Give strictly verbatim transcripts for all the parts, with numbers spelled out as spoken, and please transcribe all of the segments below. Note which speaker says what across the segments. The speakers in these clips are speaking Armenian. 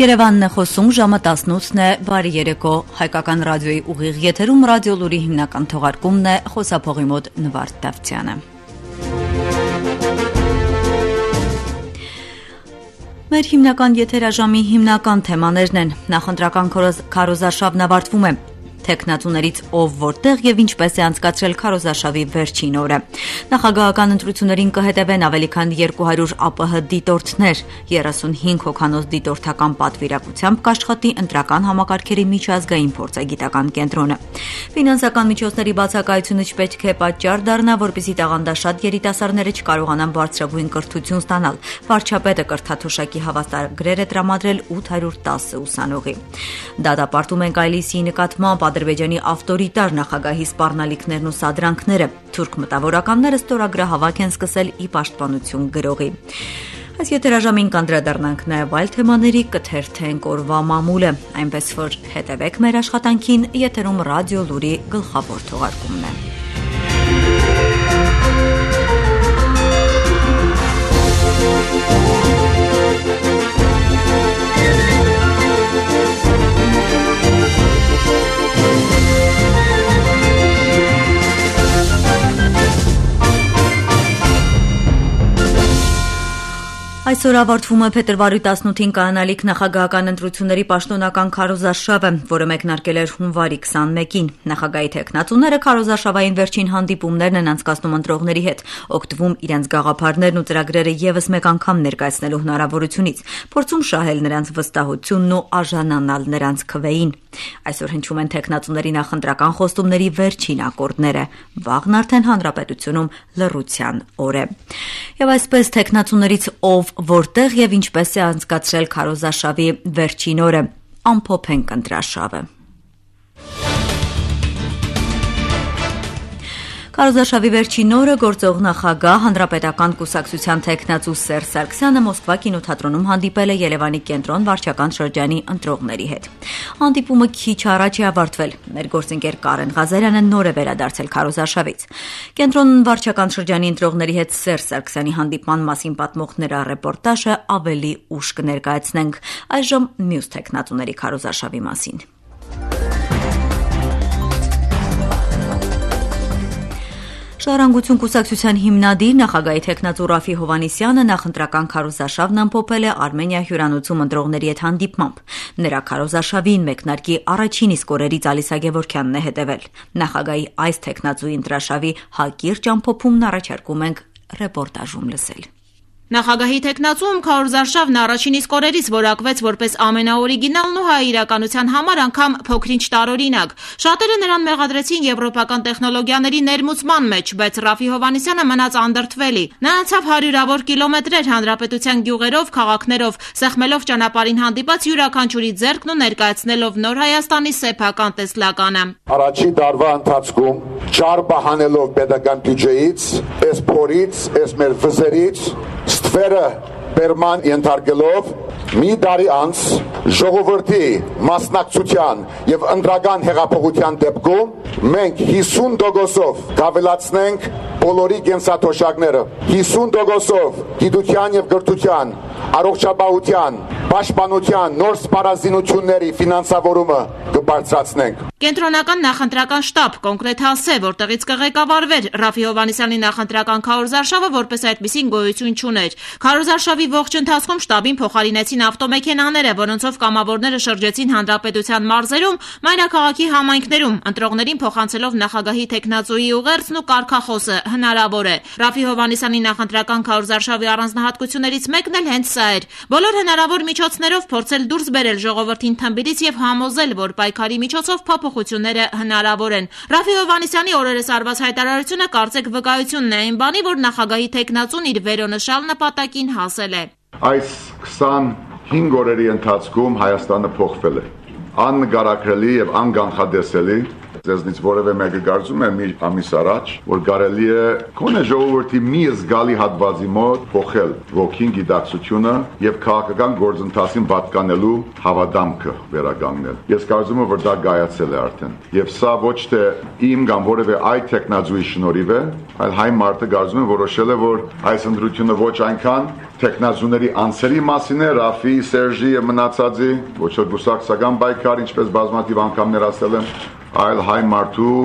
Speaker 1: Երևանն է խոսում, ժամը տասնութն է, բարի երեկո, հայկական ռադիոյի ուղիղ եթերում ռադիոլուրի հիմնական թողարկումն է, խոսափողի մոտ Նվարդ Դավթյանը։ Մեր հիմնական եթերաժամի հիմնական թեմաներն են, նախընտրական քարոզարշավն ավարտվում է, թեկնածուներից ով որտեղ եւ ինչպես է անցկացրել քարոզարշավի վերջին օրը։ Նախագահական ընտրություններին կհետևեն ավելի քան երկու հարյուր ԱՊՀ դիտորդներ, երեսունհինգ հոգանոց դիտորդական պատվիրակությամբ կաշխատի ընտրական համակարգերի միջազգային փորձագիտական կենտրոնը։ Ֆինանսական միջոցների բացակայությունը չպետք է պատճառ դառնա, որպեսզի տաղանդաշատ երիտասարդները չկարողանան բարձրագույն կրթություն ստանալ։ Վարչապետը կրթաթոշակի հավաստագրեր է տրամադրել ութ հարյուր տասը ուսանողի։ Դատապարտում ենք այլիսի նկատմամբ Ադրբեջանի ավտորիտար նախագահի սպառնալիքներն ու սադրանքները, թուրք մտավորականները ստորագրահավաք են սկսել ի պաշտպանություն գրողի։ Այս եթերաժամին կանդրադառնանք նաև այլ թեմաների, կթերթենք օրվա մամուլը, այնպես որ հետևեք մեր աշխատանքին, եթերում ռադիոլուրի գլխավոր թողարկումն է։ Այսօր ավարտվում է փետրվարի տասնութին կայանալիք նախագահական ընտրությունների պաշտոնական քարոզարշավը, որը մեկնարկել էր հունվարի քսանմեկին։ Նախագահի թեկնածուները քարոզարշավային վերջին հանդիպումներն են անցկացնում ընտրողների հետ, օգտվում իրենց գաղափարներն ու ծրագրերը եւս մեկ անգամ ներկայացնելու հնարավորությունից, փորձում շահել նրանց վստահությունն ու արժանանալ նրանց քվեին։ Այսօր հնչում են թեկնածուների նախընտրական խոստումների վերջին ակորդները։ Վաղն արդեն հանրապետությունում լռության օր է։ Եվ այսպես թեկնածուներից ով որտեղ եւ ինչպես է անցկացրել քարոզարշավի վերջին օրը, ամփոփենք ընտրարշավը։ Քարոզարշավի վերջին օրը գործող նախագահ հանրապետական կուսակցության թեկնածու Սերժ Սարգսյանը Մոսկվա կինոթատրոնում հանդիպել է Երևանի կենտրոն վարչական շրջանի ընտրողների հետ։ Հանդիպումը քիչ առաջ է ավարտվել։ Մեր գործընկեր Կարեն Ղազարյանը նոր է վերադարձել քարոզարշավից։ Կենտրոն վարչական շրջանի ընտրողների հետ Սերժ Սարգսյանի հանդիպման մասին պատմող նրա ռեպորտաժը ավելի ուշ կներկայացնենք։ Այժմ մյուս թեկնածուների քարոզարշավի մասին։ Ժառանգություն կուսակցության հիմնադիր նախագահի թեկնածու Ռաֆի Հովհաննիսյանը նախընտրական քարոզարշավն ամփոփել է Արմենիա հյուրանոցում ընտրողների հետ հանդիպմամբ։ Նրա քարոզարշավին մեկնարկի առաջին իսկ օրերից Ալիսա Գևորգյանն է հետևել։ Նախագահի այս թեկնածուի ընտրարշավի հակիրճ ամփոփումն առաջարկում ենք ռեպորտաժում լսել։
Speaker 2: Նախագահի թեկնածուում քարոզարշավն առաջին իսկ օրերից որակվեց որպես ամենաօրիգինալն ու հայ իրականության համար անգամ փոքրինչ տարօրինակ։ Շատերը նրան մեղադրեցին եվրոպական տեխնոլոգիաների ներմուծման մեջ, բայց Ռաֆի Հովհաննիսյանը մնաց անդրդվելի։ Նա անցավ հարյուրավոր կիլոմետրեր հանրապետության գյուղերով, քաղաքներով, սեղմելով ճանապարհին հանդիպած յուրաքանչյուրի ձեռքն ու ներկայացնելով նոր Հայաստանի սեփական տեսլականը։
Speaker 3: Առաջին տարվա ընթացքում ճար բահանելով պետական բյուջեից, այս փորից, այս մեր վզերից ստվերը բերման ենթարկելով մի տարի անց ժողովրդի մասնակցության եւ ընտրական հեղափոխության դեպքում մենք հիսուն տոկոսով կավելացնենք բոլորի կենսաթոշակները, հիսուն տոկոսով գիտության եւ կրթության, առողջապահության, պաշտպանության նոր սպառազինությունների ֆինանսավորումը կբարձրացնենք։
Speaker 2: Կենտրոնական նախընտրական շտաբ կոնկրետ հասե, որտեղից կղեկավարվեր Ռաֆի Հովհաննիսյանի նախընտրական քարոզարշավը, որպես այդպիսին գոյություն չուներ։ Քարոզարշավի ողջ ընթացքում շտաբին փոխարինեցին ավտոմեքենաները, որոնցով կամավորները շրջեցին հանրապետության մարզերում, մայրաքաղաքի համայնքներում, ընտրողներին փոխանցելով նախագահի թեկնածուի ուղերձն ու կարգախոսը հնարավոր է։ Ռաֆի Հովհաննիսյանի նախընտրական քարոզարշավի առանձնահատկություններից մեկն էլ հենց սա էր։ Բոլոր հնարավոր միջոցներով փորձել դուրս բերել ժողովրդին թմբիրից եւ համոզել, որ պայքարի միջոցով փոփոխությունները հնարավոր են։ Ռաֆի Հովհաննիսյանի օրերս արված հայտարարությունը կարծեք վկայությունն է այն բանի, որ նախագահի թեկնածուն իր վերոնշալ նպատակին հասել է։
Speaker 3: Այս քսանհինգ օրերի ընթացքում Հայաստանը փոխվել է։ Աննկարագրելի եւ անկանխատեսելի ձեզնից որևէ մեկը կարծում է մի ամիս առաջ, որ կարելի է քոնե ժողովրդի մի զգալի հատվածի մոտ փոխել ոգին, գիտակցությունը եւ քաղաքական գործընթացին պատկանելու հավատամքը վերականգնել։ Ես կարծում եմ, որ դա գայացել է արդեն։ Եվ սա ոչ թե իմ կամ որևէ այլ տեխնազույի շնորհիվ է, այլ հայ մարդը կարծում եմ որոշել է, որ այս ընտրությունը ոչ այնքան տեխնազուների անձերի մասին է, Ռաֆի, Սերժի եւ մնացածի, ոչ թե գուսակցական պայքար, ինչպես բազմաթիվ անգամներ ասել եմ, այլ հայ մարդու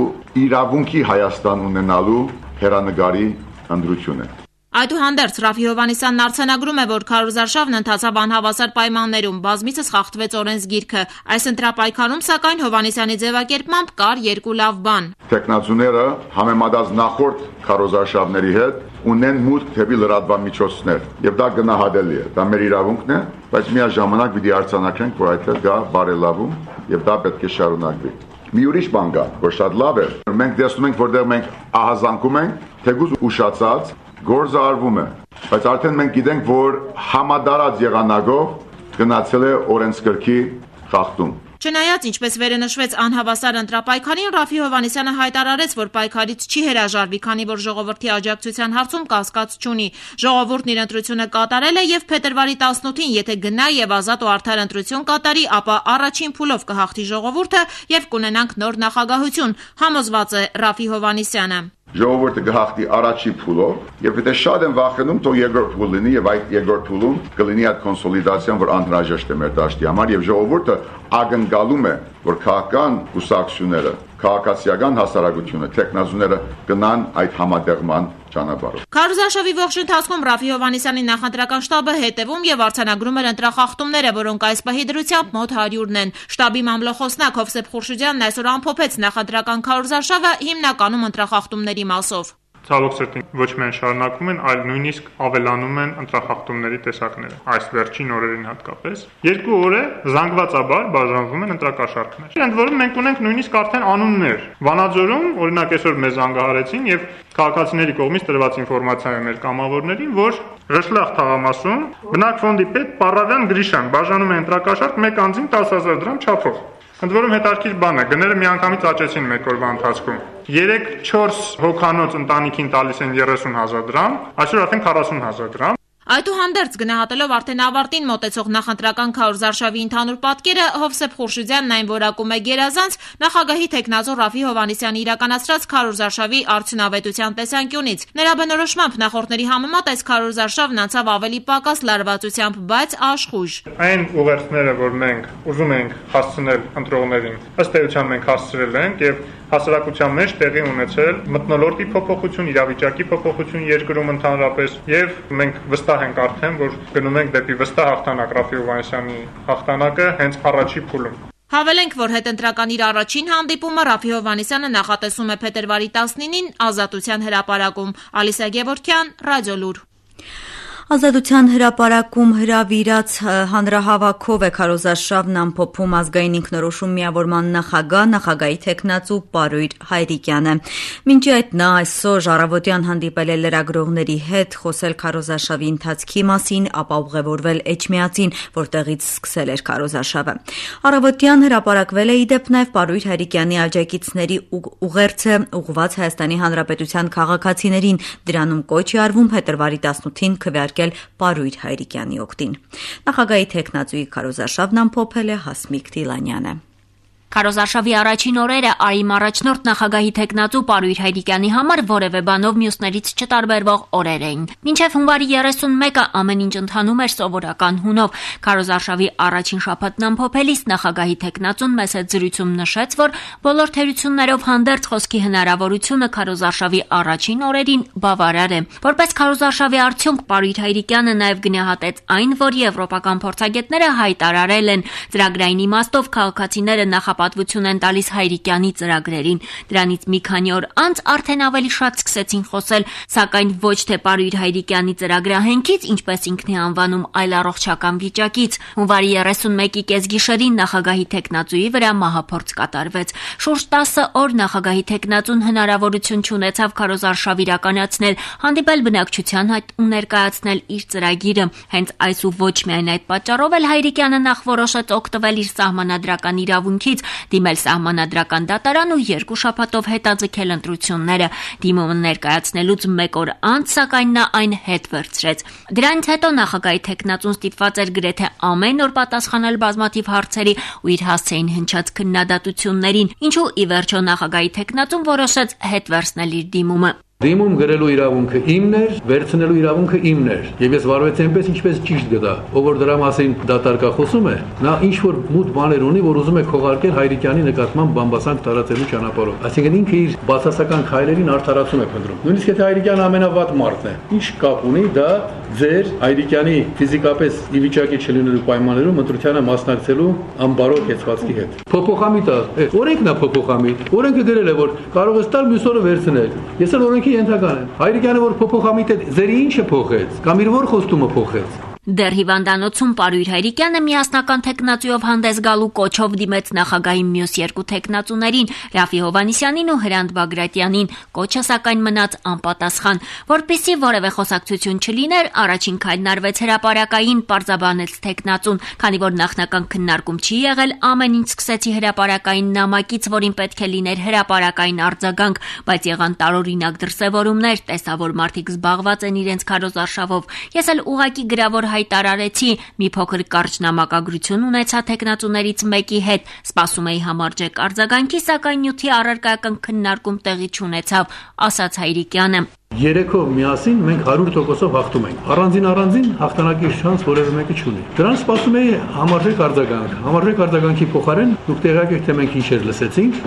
Speaker 3: իրավունքի Հայաստան ունենալու հերանեկարի ընտրություն է։
Speaker 2: Այդուհանդերձ Ռաֆի Հովհաննիսյանն արձանագրում է, որ քարոզարշավն ընթացավ անհավասար պայմաններում, բազմիցս խախտվեց օրենսգիրքը։ Այս ընտրապայքարում, սակայն, Հովհաննիսյանի ձևակերպմամբ կար երկու լավ բան։
Speaker 3: Տեխնազուները համեմատած նախորդ քարոզարշավների հետ ունեն մուտք թեպի լրատվամիջոցներ, եւ դա գնահատելի է։ Դա մեր իրավունքն է, բայց միաժամանակ պիտի արձանագրենք, որ այդտեղ կա բարելավում եւ դա պետք է շարունակվի։ Մի ուրիշ բան կա, որ շատ լավ է։ Մենք տեսնում ենք, որտեղ մենք ահազանգում ենք, թեկուզ ուշացած գործը արվում է, բայց արդեն մենք գիտենք, որ համադարած եղանակով գնացել է օրենսգրքի խախտում։
Speaker 2: Չնայած, ինչպես վերը նշվեց անհավասար ընտրապայքարին, Ռաֆի Հովհաննիսյանը հայտարարեց, որ պայքարից չի հրաժարվի, քանի որ ժողովրդի աջակցության հարցում կասկած չունի։ Ժողովուրդն իր ընտրությունը կատարել է եւ փետրվարի տասնութին, եթե գնա եւ ազատ ու արդար ընտրություն կատարի, ապա առաջին փուլով կհաղթի ժողովուրդը եւ կունենանք նոր նախագահություն, համոզված է Ռաֆի Հովհաննիսյանը։
Speaker 3: Ժողովուրդը կհաղթի առաջի փուլով եւ եթե շատ են վախենում, թող երկրորդ փուլ լինի եւ այդ երկրորդ փուլում կլինի այդ կոնսոլիդացիան, որ անհրաժեշտ է մեր դաշտի համար եւ ժողովուրդը ակնկալում է, որ քաղաքական կուսակցությունները, քաղաքացիական հասարակությունը, տեխնազուները գնան այդ համատեղման ճանապարհով։
Speaker 2: Քարոզարշավի ողջ ընթացքում Ռաֆի Հովհաննիսյանի նախընտրական շտաբը հետևում եւ արձանագրում էր ընտրախախտումները, որոնք այս պահի դրությամբ մոտ հարյուրն են։ Շտաբի մամլոխոսնակ Հովսեփ Խուրշիդյանն այսօր ամփոփեց նախընտրական քարոզարշավը հիմնականում ընտրախախտումների մասով։
Speaker 4: Ցավոք սրտի ոչ միայն շարունակվում են, այլ նույնիսկ ավելանում են ընտրախախտումների տեսակները, այս վերջին օրերին հատկապես։ Երկու օր է զանգվածաբար բաժանվում են ընտրակաշառքներ։ Ընդ որում մենք ունենք նույնիսկ արդեն անուններ։ Վանաձորում, օրինակ, այսօր մեզ զանգահարեցին եւ քաղաքացիների կողմից տրված ինֆորմացիա մեր կամավորներին, որ Ռշլախ թաղամասում բնակ ֆոնդի պետ Պարավյան Գրիշան բաժանում է ընտրակաշառք մեկ անձին տասը հազար դրամ չափով։ Ընդ որում հետաքրքիր բան է, գները միանգամից աճեցին մեկ օրվա ընթացքում։ երեք չորս հոգանոց ընտանիքին տալիս են երեսուն հազար դրամ, այսօր արդեն քառասուն հազար դրամ։
Speaker 2: Այդուհանդերձ գնահատելով արդեն ավարտին մոտեցող նախընտրական քարոզարշավի ընդհանուր պատկերը, Հովսեփ Խուրշիդյանն այն որակում է գերազանց նախագահի տեխնազոր Ռաֆի Հովհաննիսյանի իրականացրած քարոզարշավի արդյունավետության տեսանկյունից։ Նրա բնորոշմամբ նախորդների համեմատ այս քարոզարշավն անցավ ավելի պակաս լարվածությամբ, բայց աշխույժ։
Speaker 4: Այն ուղերձները, որ մենք ուզում ենք հասցնել ընտրողներին, ըստ էության մենք հասցրել ենք եւ հասարակության մեջ տեղի ունեցել մթնոլորտի փոփոխություն, իրավիճակի փոփոխություն երկրում ընդհանրապես եւ մենք վստահ ենք արդեն, որ գնում ենք դեպի վստահ հաղթանակ Ռաֆի Հովհաննիսյանի հաղթանակը հենց առաջի փուլում։
Speaker 2: Հավելենք, որ հետընտրական իր առաջին հանդիպումը Ռաֆի Հովհաննիսյանը նախատեսում է փետրվարի տասնինին Ազատության հրապարակում։ Ալիսա Գևորգյան, Ռադիոլուր։
Speaker 1: Ազատության հրապարակում հրավիրած հանրահավաքով է քարոզարշավն ամփոփում ազգային ինքնորոշում միավորման նախագահ, նախագահի տեխնացու Պարույր Հայրիկյանը։ Մինչ այդ նա այսօր առավոտյան հանդիպել է լրագրողների հետ, խոսել քարոզարշավի ընթացքի մասին, ապա ուղևորվել Էջմիածին, որտեղից սկսել էր քարոզարշավը։ Առավոտյան հրապարակվել է ի դեպ նաև Պարույր Հայրիկյանի աջակիցների ուղերձը ուղղված Հայաստանի Հանրապետության քաղաքացիներին, դրանում կոչ է արվում փետրվարի տասնութին քվեարկել Պարույր Հայրիկյանի օգտին։ Նախագահի տեխնացուի քարոզարշավն ամփոփել է Հասմիկ Դիլանյանը։
Speaker 5: Քարոզարշավի առաջին օրերը Արիմ առաջնորդ նախագահի տեխնացու Պարույր Հայրիկյանի համար որևէ բանով մյուսներից չտարբերվող օրեր էին։ Մինչև հունվարի երեսունմեկը ամեն ինչ ընթանում էր սովորական հունով։ Քարոզարշավի առաջին շաբաթն ամփոփելիս նախագահի տեխնացուն մեծ զրույցում նշեց, որ բոլոր թերություններով հանդերձ խոսքի հնարավորությունը քարոզարշավի առաջին օրերին բավարար է։ Որպես քարոզարշավի արդյունք Պարույր Հայրիկյանը նաև գնահատեց այն, որ եվրոպական փորձագետները հայտարարել են ծրագրային իմաստով քաղաքացիները նախ պատվություն են տալիս Հայրիկյանի ծրագրերին։ Դրանից մի քանի օր անց արդեն ավելի շատ սկսեցին խոսել, սակայն ոչ թե Պարույր Հայրիկյանի ծրագրահենքից, ինչպես ինքն է անվանում, այլ առողջական վիճակից։ Հունվարի երեսունմեկի կեսգիշերին նախագահի տեխնացուի վրա մահափորձ կատարվեց։ Շուրջ տասը օր նախագահի տեխնացուն հնարավորություն չունեցավ քարոզարշավ իրականացնել, հանդիպել բնակչության հետ ու ներկայացնել իր ծրագիրը։ Հենց այս ու ոչ միայն այդ պատճառով էլ Հայրիկյանը նախ որոշեց օգտվել իր սահմանադրական իրավունքից դիմել սահմանադրական դատարան ու երկու շաբաթով հետաձգել ընտրությունները։ Դիմումը ներկայացնելուց մեկ օր անց, սակայն նա այն հետ վերցրեց։ Դրանից հետո նախագահի թեկնածուն ստիպված էր գրեթե ամեն օր պատասխանել բազմաթիվ հարցերի ու իր հասցեին հնչած քննադատություններին, ինչու ի վերջո նախագահի թեկնածուն որոշեց հետ վերցնել իր դիմումը։
Speaker 6: Դիմում գրելու իրավունքը իմն էր, վերցնելու իրավունքը իմն էր, եւ ես վարվեցի այնպես, ինչպես ճիշտ գտա։ Ով որ դրա մասին դատարկա խոսում է, նա ինչ որ մութ բաներ ունի, որ ուզում է քողարկել Հայրիկյանի նկատմամբ բամբասանք տարածելու ճանապարհով։ Այսինքն ինքը իր բացասական քայլերին արդարացում է փնտրում։ Նույնիսկ եթե Հայրիկյանը ամենավատ մարդն է, ինչ կապ ունի դա ձեր Հայրիկյանի ֆիզիկապես ի վիճակի չլինելու պայմաններում ընտրությանը մասնակցելու անբարո կեցվածքի հետ։ Փոփոխամիտ է, օրենքն է փոփոխամիտ։ Օրենքը գրել է, որ կարող ես տալ մյուս օրը վերցնել։ Ես էլ օրենքի ենթական եմ։ Հայրիկյանը որ փոփոխամիտ է, ձերի ինչը փոխեց, կամ իր որ խոստումը փոխեց։
Speaker 5: Դեռ հիվանդանոցում Պարույր Հայրիկյանը միասնական թեկնածուով հանդես գալու կոչով դիմեց նախագահի մյուս երկու թեկնածուներին՝ Ռաֆի Հովհաննիսյանին ու Հրանտ Բագրատյանին, կոչը սակայն մնաց անպատասխան։ Որպեսզի որևէ խոսակցություն չլիներ, առաջին քայլն արվեց հրապարակային, պարզաբանեց թեկնածուն, քանի որ նախնական քննարկում չի եղել, ամեն ինչ սկսեցի հրապարակային նամակից, որին պետք է լիներ հրապարակային արձագանք, բայց եղան տարօրինակ դրսևորումներ, տեսա, որ մարդիկ զբաղված են իրենց քարոզարշավով։ Ես էլ ուղղակի գրավոր հայտարարեցի, մի փոքր կարճ նամակագրություն ունեցա թեկնածուներից մեկի հետ, սպասում էի համարժեք արձագանքի, սակայն նյութի առարկայական քննարկում տեղի չունեցավ, ասաց Հայրիկյանը։
Speaker 6: Երեքով միասին մենք հարյուր տոկոսով հաղթում ենք։ Առանձին առանձին հաղթանակի շանս որևէ մեկը չունի։ Դրան սպասում էի համարժեք արձագանք։ Համարժեք արձագանքի փոխարեն դուք տեղյակ եք, թե մենք ինչեր լսեցինք,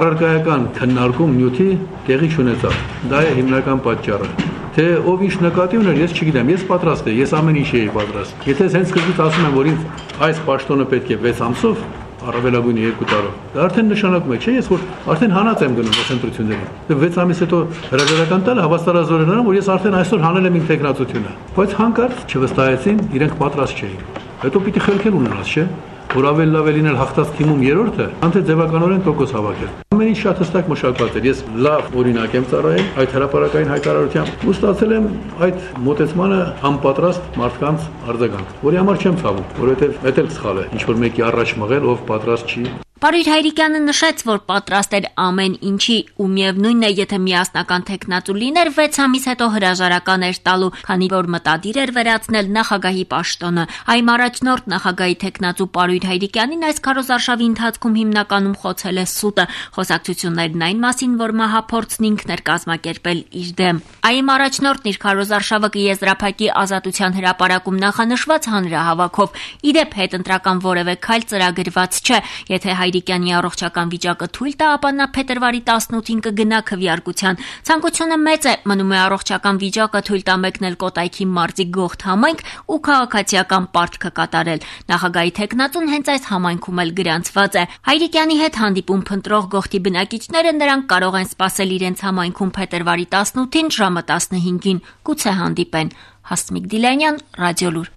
Speaker 6: առարկայական քննարկում նյութի տեղի չունեցավ։ Դա է հիմնական պատճառը։ Թե ով ինչ նկատի ուներ, ես չգիտեմ, ես պատրաստ եմ, ես ամեն ինչ էի պատրաստ։ Եթե հենց սկզբից ասում եմ, որ ինձ այս պաշտոնը պետք է վեց ամսով, առավելագույնը երկու տարով, դա արդեն նշանակում է, չէ՞, ես որ արդեն հանած եմ գնում այս ընտրություններին։ Դե վեց ամիս հետո հրաժարական տալը հավաստարազոր է նրան, որ ես արդեն այսօր հանել եմ իմ տեխնացությունը։ Բայց հանկարծ չվստահեցին, իրենք պատրաստ չէին։ Հետո պիտի խելքել ունենաս, չէ՞, որ ավելի լավ է լինել հաղթած թիմում երրորդը, քան թե ձևականորեն տոկոս հավաքել։ Ամեն ինչ շատ հստակ մշակված էր։ Ես լավ օրինակ եմ ծառայել այդ հրապարակային հայտարարությամբ ու ստացել եմ այդ մոտեցմանը անպատրաստ մարդկանց արձագանք, որի համար չեմ ցավում, որովհետև դա էլ սխալ է, ինչ որ մեկի առաջ մղել, ով պատրաստ չի։
Speaker 5: Պարույր Հայրիկյանը նշեց, որ պատրաստ էր ամեն ինչի ու միևնույնն է, եթե միասնական թեկնածու լիներ, վեց ամիս հետո հրաժարական էր տալու, քանի որ մտադիր էր վերացնել նախագահի պաշտոնը։ Այմ առաջնորդ նախագահի թեկնածու Պարույր Հայրիկյանին այս քարոզարշավի ընթացքում հիմնականում խոցել է սուտը, խոսակցություններն այն մասին, որ մահափորձն ինքն էր կազմակերպել իր դեմ։ Այմ առաջնորդն իր քարոզարշավը կեզրափակի Ազատության հրապարակում նախանշված հանրահավաքով։ Իդեպ հետընտրական որևէ քայլ ծրագրված չէ, եթե Հայրիկյանի առողջական վիճակը թույլ տա, ապա նա փետրվարի տասնութին կգնա քվեարկության։ Ցանկությունը մեծ է, մնում է առողջական վիճակը թույլ տա մեկնել Կոտայքի մարզի Գողթ համայնք ու քաղաքացիական պարտքը կատարել։ Նախագահի թեկնածուն հենց այս համայնքում էլ գրանցված է։ Հայրիկյանի հետ հանդիպում փնտրող Գողթի բնակիչները նրանք կարող են սպասել իրենց համայնքում փետրվարի տասնութին ժամը տասնհինգին։ Գուցե հանդիպեն։ Հասմիկ Դիլանյան, Ռադիոլուր։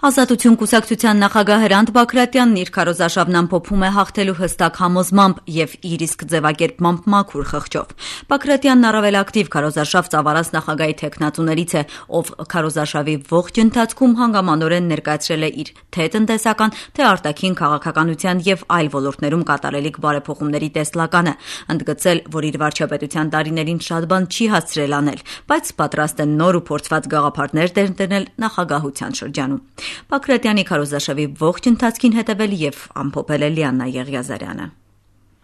Speaker 1: Ազատություն կուսակցության նախագահ Հրանտ Բագրատյանն իր քարոզարշավն ամփոփում է հաղթելու հստակ համոզմամբ եւ իր իսկ ձևակերպմամբ մաքուր խղճով։ Բագրատյանն առավել ակտիվ քարոզարշավ ծավալած նախագահի թեկնածուներից է, ով քարոզարշավի ողջ ընթացքում հանգամանորեն ներկայացրել է իր թե տնտեսական, թե արտաքին քաղաքականության եւ այլ ոլորտներում կատարելիք բարեփոխումների տեսլականը, ընդգծել, որ իր վարչապետության տարիներին շատ բան չի հասցրել անել, բայց պատրաստ է նոր ու փորձված գաղափարներ դերնել նախագահության շրջանում։ Բագրատյանի քարոզարշավի ողջ ընթացքին հետևել եւ ամփոփել է Լիաննա Եղիազարյանը։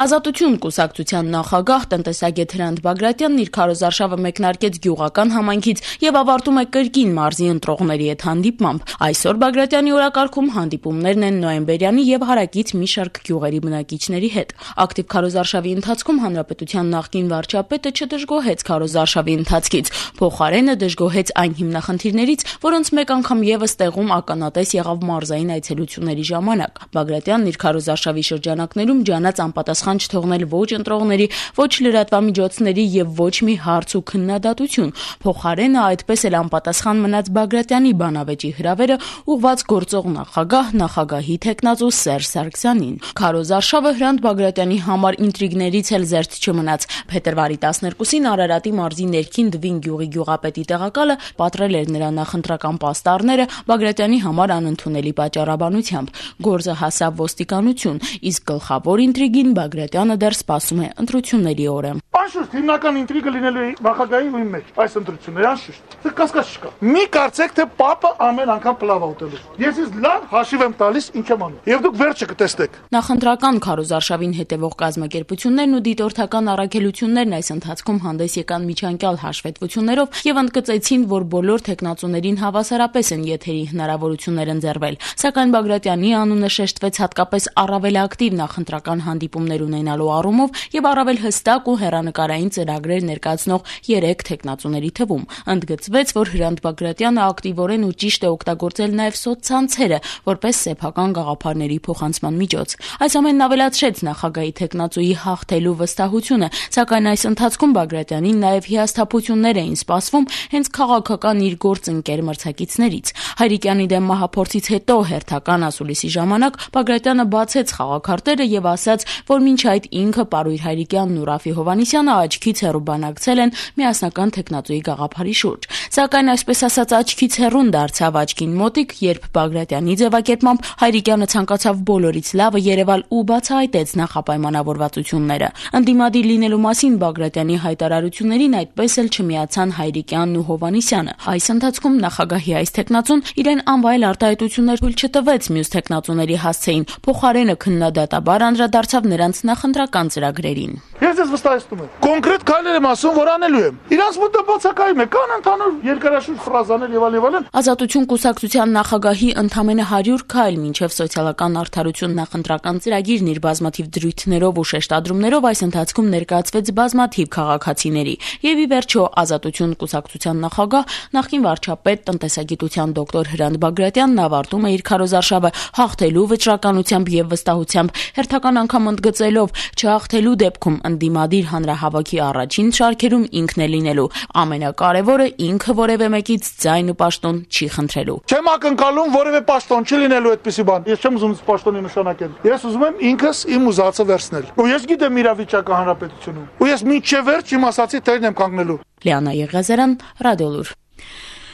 Speaker 7: Ազատություն կուսակցության նախագահ տնտեսագետ Հրանտ Բագրատյանն իր քարոզարշավը մեկնարկեց Գյուղական համայնքից եւ ավարտում է Կրկին մարզի ընտրողների հետ հանդիպմամբ։ Այսօր Բագրատյանի օրակարգում հանդիպումներն են նոյեմբերյանի եւ հարակից մի շարք գյուղերի բնակիչների հետ։ Ակտիվ քարոզարշավի ընթացքում հանրապետության նախկին վարչապետը չդժգոհեց քարոզարշավի ընթացքից, փոխարենը դժգոհեց այն հիմնախնդիրներից, որոնց մեկ անգամ եւս տեղում ականատես եղավ մարզային այցելությունների ժամանակ։ Բագրատյանն իր քարոզարշավի շրջանակներում ջանաց անպատասխան անպատասխան չթողնել ոչ ընտրողների, ոչ լրատվամիջոցների եւ ոչ մի հարց ու քննադատություն։ Փոխարենը այդպես էլ անպատասխան մնաց Բագրատյանի բանավեճի հրավերը ուղղված գործող նախագահ, նախագահի թեկնածու Սերժ Սարգսյանին։ Քարոզարշավը Հրանտ Բագրատյանի համար ինտրիգներից էլ զերծ չմնաց։ Փետրվարի տասներկուսին Արարատի մարզի ներքին Դվին գյուղի գյուղապետի տեղակալը պատռել էր նրա նախընտրական պաստառները Բագրատյանի համար անընդունելի պատճառաբանությամբ։ Գործը հասավ ոստիկանություն, իսկ գլխավոր ինտրիգին Բագրատյանը դեռ սպասում է ընտրությունների օրը։
Speaker 8: Անշուշտ հիմնական ինտրիգը լինելու է նախագահի ու իմ մեջ այս ընտրությունները, անշուշտ։ Դա կասկած չկա։ Մի կարծեք թե պապը ամեն անգամ պլավ ուտելու։ Ես ինձ լավ հաշիվ եմ տալիս ինչ եմ անում։ Եվ դուք վերջը կտեսնեք։
Speaker 7: Նախընտրական քարոզարշավին հետևող կազմակերպություններն ու դիտորդական առաքելություններն այս ընթացքում հանդես եկան միջանկյալ հաշվետվություններով եւ ընդգծեցին, որ բոլոր թեկնածուներին հավասարապես են եթերի հնարավորություններ ընձեռվել։ Սակայն Բագրատյանի անունը շեշտվեց հատկապես առավել ակտիվ նախընտրական հանդիպումներ ունենալու առումով եւ առավել հստակ ու հեռանկարային ծրագրեր ներկայացնող երեք թեկնածուների թվում։ Ընդգծվեց, որ Հրանտ Բագրատյանը ակտիվորեն ու ճիշտ է օգտագործել նաեւ սոցցանցերը որպես սեփական գաղափարների փոխանցման միջոց։ Այս ամենն ավելացրեց նախագահի թեկնածուի հաղթելու վստահությունը, սակայն այս ընթացքում Բագրատյանին նաեւ հիասթափություններ էին սպասվում հենց քաղաքական իր գործընկեր մրցակիցներից։ Հայրիկյանի դեմ մահափորձից հետո հերթական ասուլիսի ժամանակ Բագրատյանը բացեց խաղաքարտերը եւ ասաց, որ մինչ այդ ինքը Պարույր Հայրիկյանն ու Ռաֆի Հովհաննիսյանը աչքից հեռու բանակցել են միասնական թեկնածուի գաղափարի շուրջ։ Սակայն այսպես ասած աչքից հեռուն դարձավ աչքին մոտիկ, երբ Բագրատյանի ձևակերպմամբ Հայրիկյանը ցանկացավ բոլորից լավը երևալ ու բացահայտեց նախապայմանավորվածությունները։ Ընդդիմադիր լինելու մասին Բագրատյանի հայտարարություններին այդպես էլ չմիացան Հայրիկյանն ու Հովհաննիսյանը։ Այս ընթացքում նախագահի այս թեկնածուն իրեն անվայել արտահայտություններ թույլ չտվեց մյուս թեկնածուների հասցեին, փոխարենը քննադատաբար անդրադարձավ նրանց նախընտրական ծրագրերին։
Speaker 8: Ես ես վստահեցնում եմ։ Կոնկրետ քայլեր եմ ասում, որ անելու եմ։ Իրանց մոտ բացակայում է, կան ընդհանուր երկարաշունչ ֆրազաներ եւ այլ եւ այլն։
Speaker 7: Ազատություն կուսակցության նախագահի ընդամենը հարյուր քայլ մինչև սոցիալական արդարություն նախընտրական ծրագիրն իր բազմաթիվ դրույթներով ու շեշտադրումներով այս ընթացքում ներկայացվեց բազմաթիվ քաղաքացիների։ Եվ ի վերջո Ազատություն կուսակցության նախագահ նախկին վարչապետ տնտեսագիտության դոկտոր Հրանտ Բագրատյանն ավարտում է իր քարոզարշավը հաղթելու վճռականությամբ եւ վստահությամբ, հերթական անգամ ընդգծելով չհաղթելու դեպքում ընդդիմադիր հանրահավաքի առաջին շարքերում ինքն է լինելու։ Ամենակարևորը ինքը որևէ մեկից ձայն ու պաշտոն չի խնդրելու։
Speaker 8: Չեմ ակնկալում որևէ պաշտոն չի լինելու այդպիսի բան։ Ես չեմ ուզում պաշտոնի նշանակել։ Ես ուզում եմ ինքս իմ ուզածը վերցնել։ Ու ես գիտեմ իրավիճակը հանրապետությունում։ Ու ես մինչև վերջ իմ ասացի տերն եմ կանգնելու։
Speaker 7: Լիանա Եղիազարյան, Ռադիոլուր։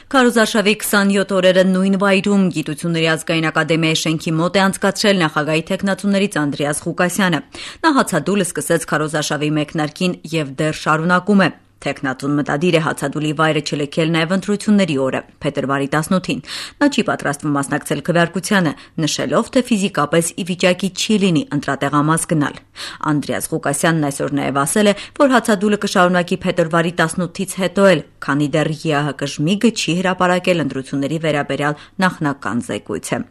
Speaker 1: Քարոզարշավի քսանյոթ օրերը նույն վայրում Գիտությունների ազգային ակադեմիայի շենքի մոտ է անցկացրել նախագահի թեկնածուներից Անդրեաս Ղուկասյանը։ Նա հացադուլը սկսեց քարոզարշավի մեկնարկին եւ դեռ շարունակում է։ Թեկնածուն մտադիր է հացադուլի վայրը չլքել նաև ընտրությունների օրը, փետրվարի տասնութին։ Նա չի պատրաստվում մասնակցել քվեարկությանը, նշելով, թե ֆիզիկապես ի վիճակի չի լինի ընտրատեղամաս գնալ։ Անդրեաս Ղուկասյանն այսօր նաև ասել է, որ հացադուլը կշարունակի փետրվարի տասնութից հետո էլ, քանի դեռ ԵԱՀԿ ժմիգը չի հրապարակել ընտրությունների վերաբերյալ նախնական զեկույցը։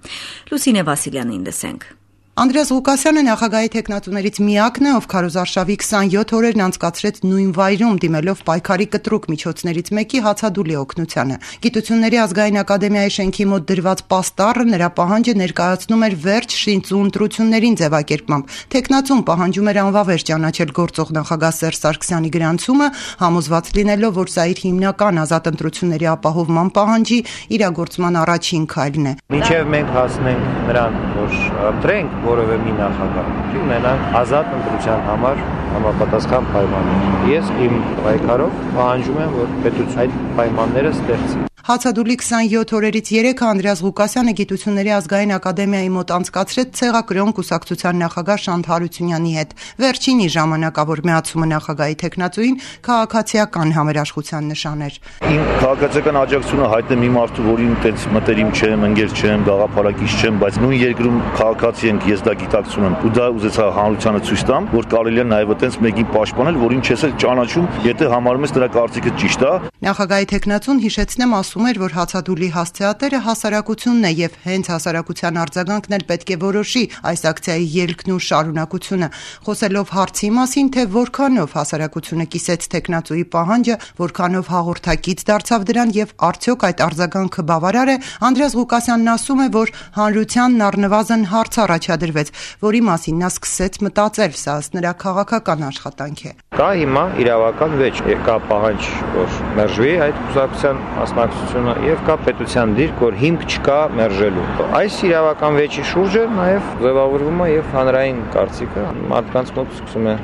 Speaker 1: Լուսինե Վասիլյանին լսենք։
Speaker 9: Անդրեաս Ղուկասյանը նախագահի թեկնածուներից միակն է, ով քարոզարշավի քսանյոթ օրերն անցկացրեց նույն վայրում, դիմելով պայքարի կտրուկ միջոցներից մեկի հացադուլի օգնությանը։ Գիտությունների ազգային ակադեմիայի շենքի մոտ դրված պաստառը նրա պահանջը ներկայացնում էր վերջ շինծու ընտրություններին ձևակերպմամբ։ Թեկնածուն պահանջում էր անվավեր ճանաչել գործող նախագահ Սերժ Սարգսյանի գրանցումը, համոզված լինելով, որ սա իր հիմնական ազատ ընտրությունների ապահովման պահանջի իրագործման առաջին քայլն է։
Speaker 10: Մինչև մենք հասնենք նրան, որ ընտրենք որևէ մի նախագահ, ունենանք ազատ ընտրության համար համապատասխան պայմաններ։ Ես իմ պայքարով պահանջում եմ, որ պետություն այդ պայմանները ստեղծի։
Speaker 9: Հացադուլի քսանյոթ օրերից երեքը Անդրեաս Ղուկասյանը Գիտությունների ազգային ակադեմիայի մոտ անցկացրեց ցեղակրոն կուսակցության նախագահ Շանթ Հարությունյանի հետ։ Վերջինի ժամանակավոր միացումը նախագահի թեկնածուին քաղաքացիական համերաշխության նշան էր։
Speaker 11: Իմ քաղաքացիական աջակցությունը հայտնեմ մի մարդու, որին այդպես մտերիմ չեմ, ընկեր չեմ, գաղափարակից չեմ, բայց նույն երկրում քաղաքացի ենք, ես դա գիտակցում եմ։ Ու դա ուզեցա հանրությանը ցույց տամ, որ կարելի է նաև այդպես մեկին պաշտպանել, որին չես էլ ճանաչում, եթե համարում ես նրա կարծիքը ճիշտ է։
Speaker 9: Նախագահի թեկնածուն հիշեցնեմ ասում ասում էր, որ հացադուլի հասցեատերը հասարակությունն է եւ հենց հասարակության արձագանքն էլ պետք է որոշի այս ակցիայի ելքն ու շարունակությունը։ Խոսելով հարցի մասին, թե որքանով հասարակությունը կիսեց տեխնացուի պահանջը, որքանով հաղորդակից դարձավ դրան եւ արդյոք այդ արձագանքը բավարար է, Անդրեաս Ղուկասյանն ասում է, որ հանրությանն առնվազն հարց առաջադրվեց, որի մասին նա սկսեց մտածել, սա ըստ նրա քաղաքական աշխատանք է։
Speaker 10: Կա հիմա իրավական վեճ, կա պահանջ, որ մերժվի այդ կուսակցության մասնակցությունը եւ կա պետության դիրք, որ հիմք չկա մերժելու։ Այս իրավական վեճի շուրջը նաեւ ձևավորվում է եւ հանրային կարծիքը մարդկանց մոտ սկսում է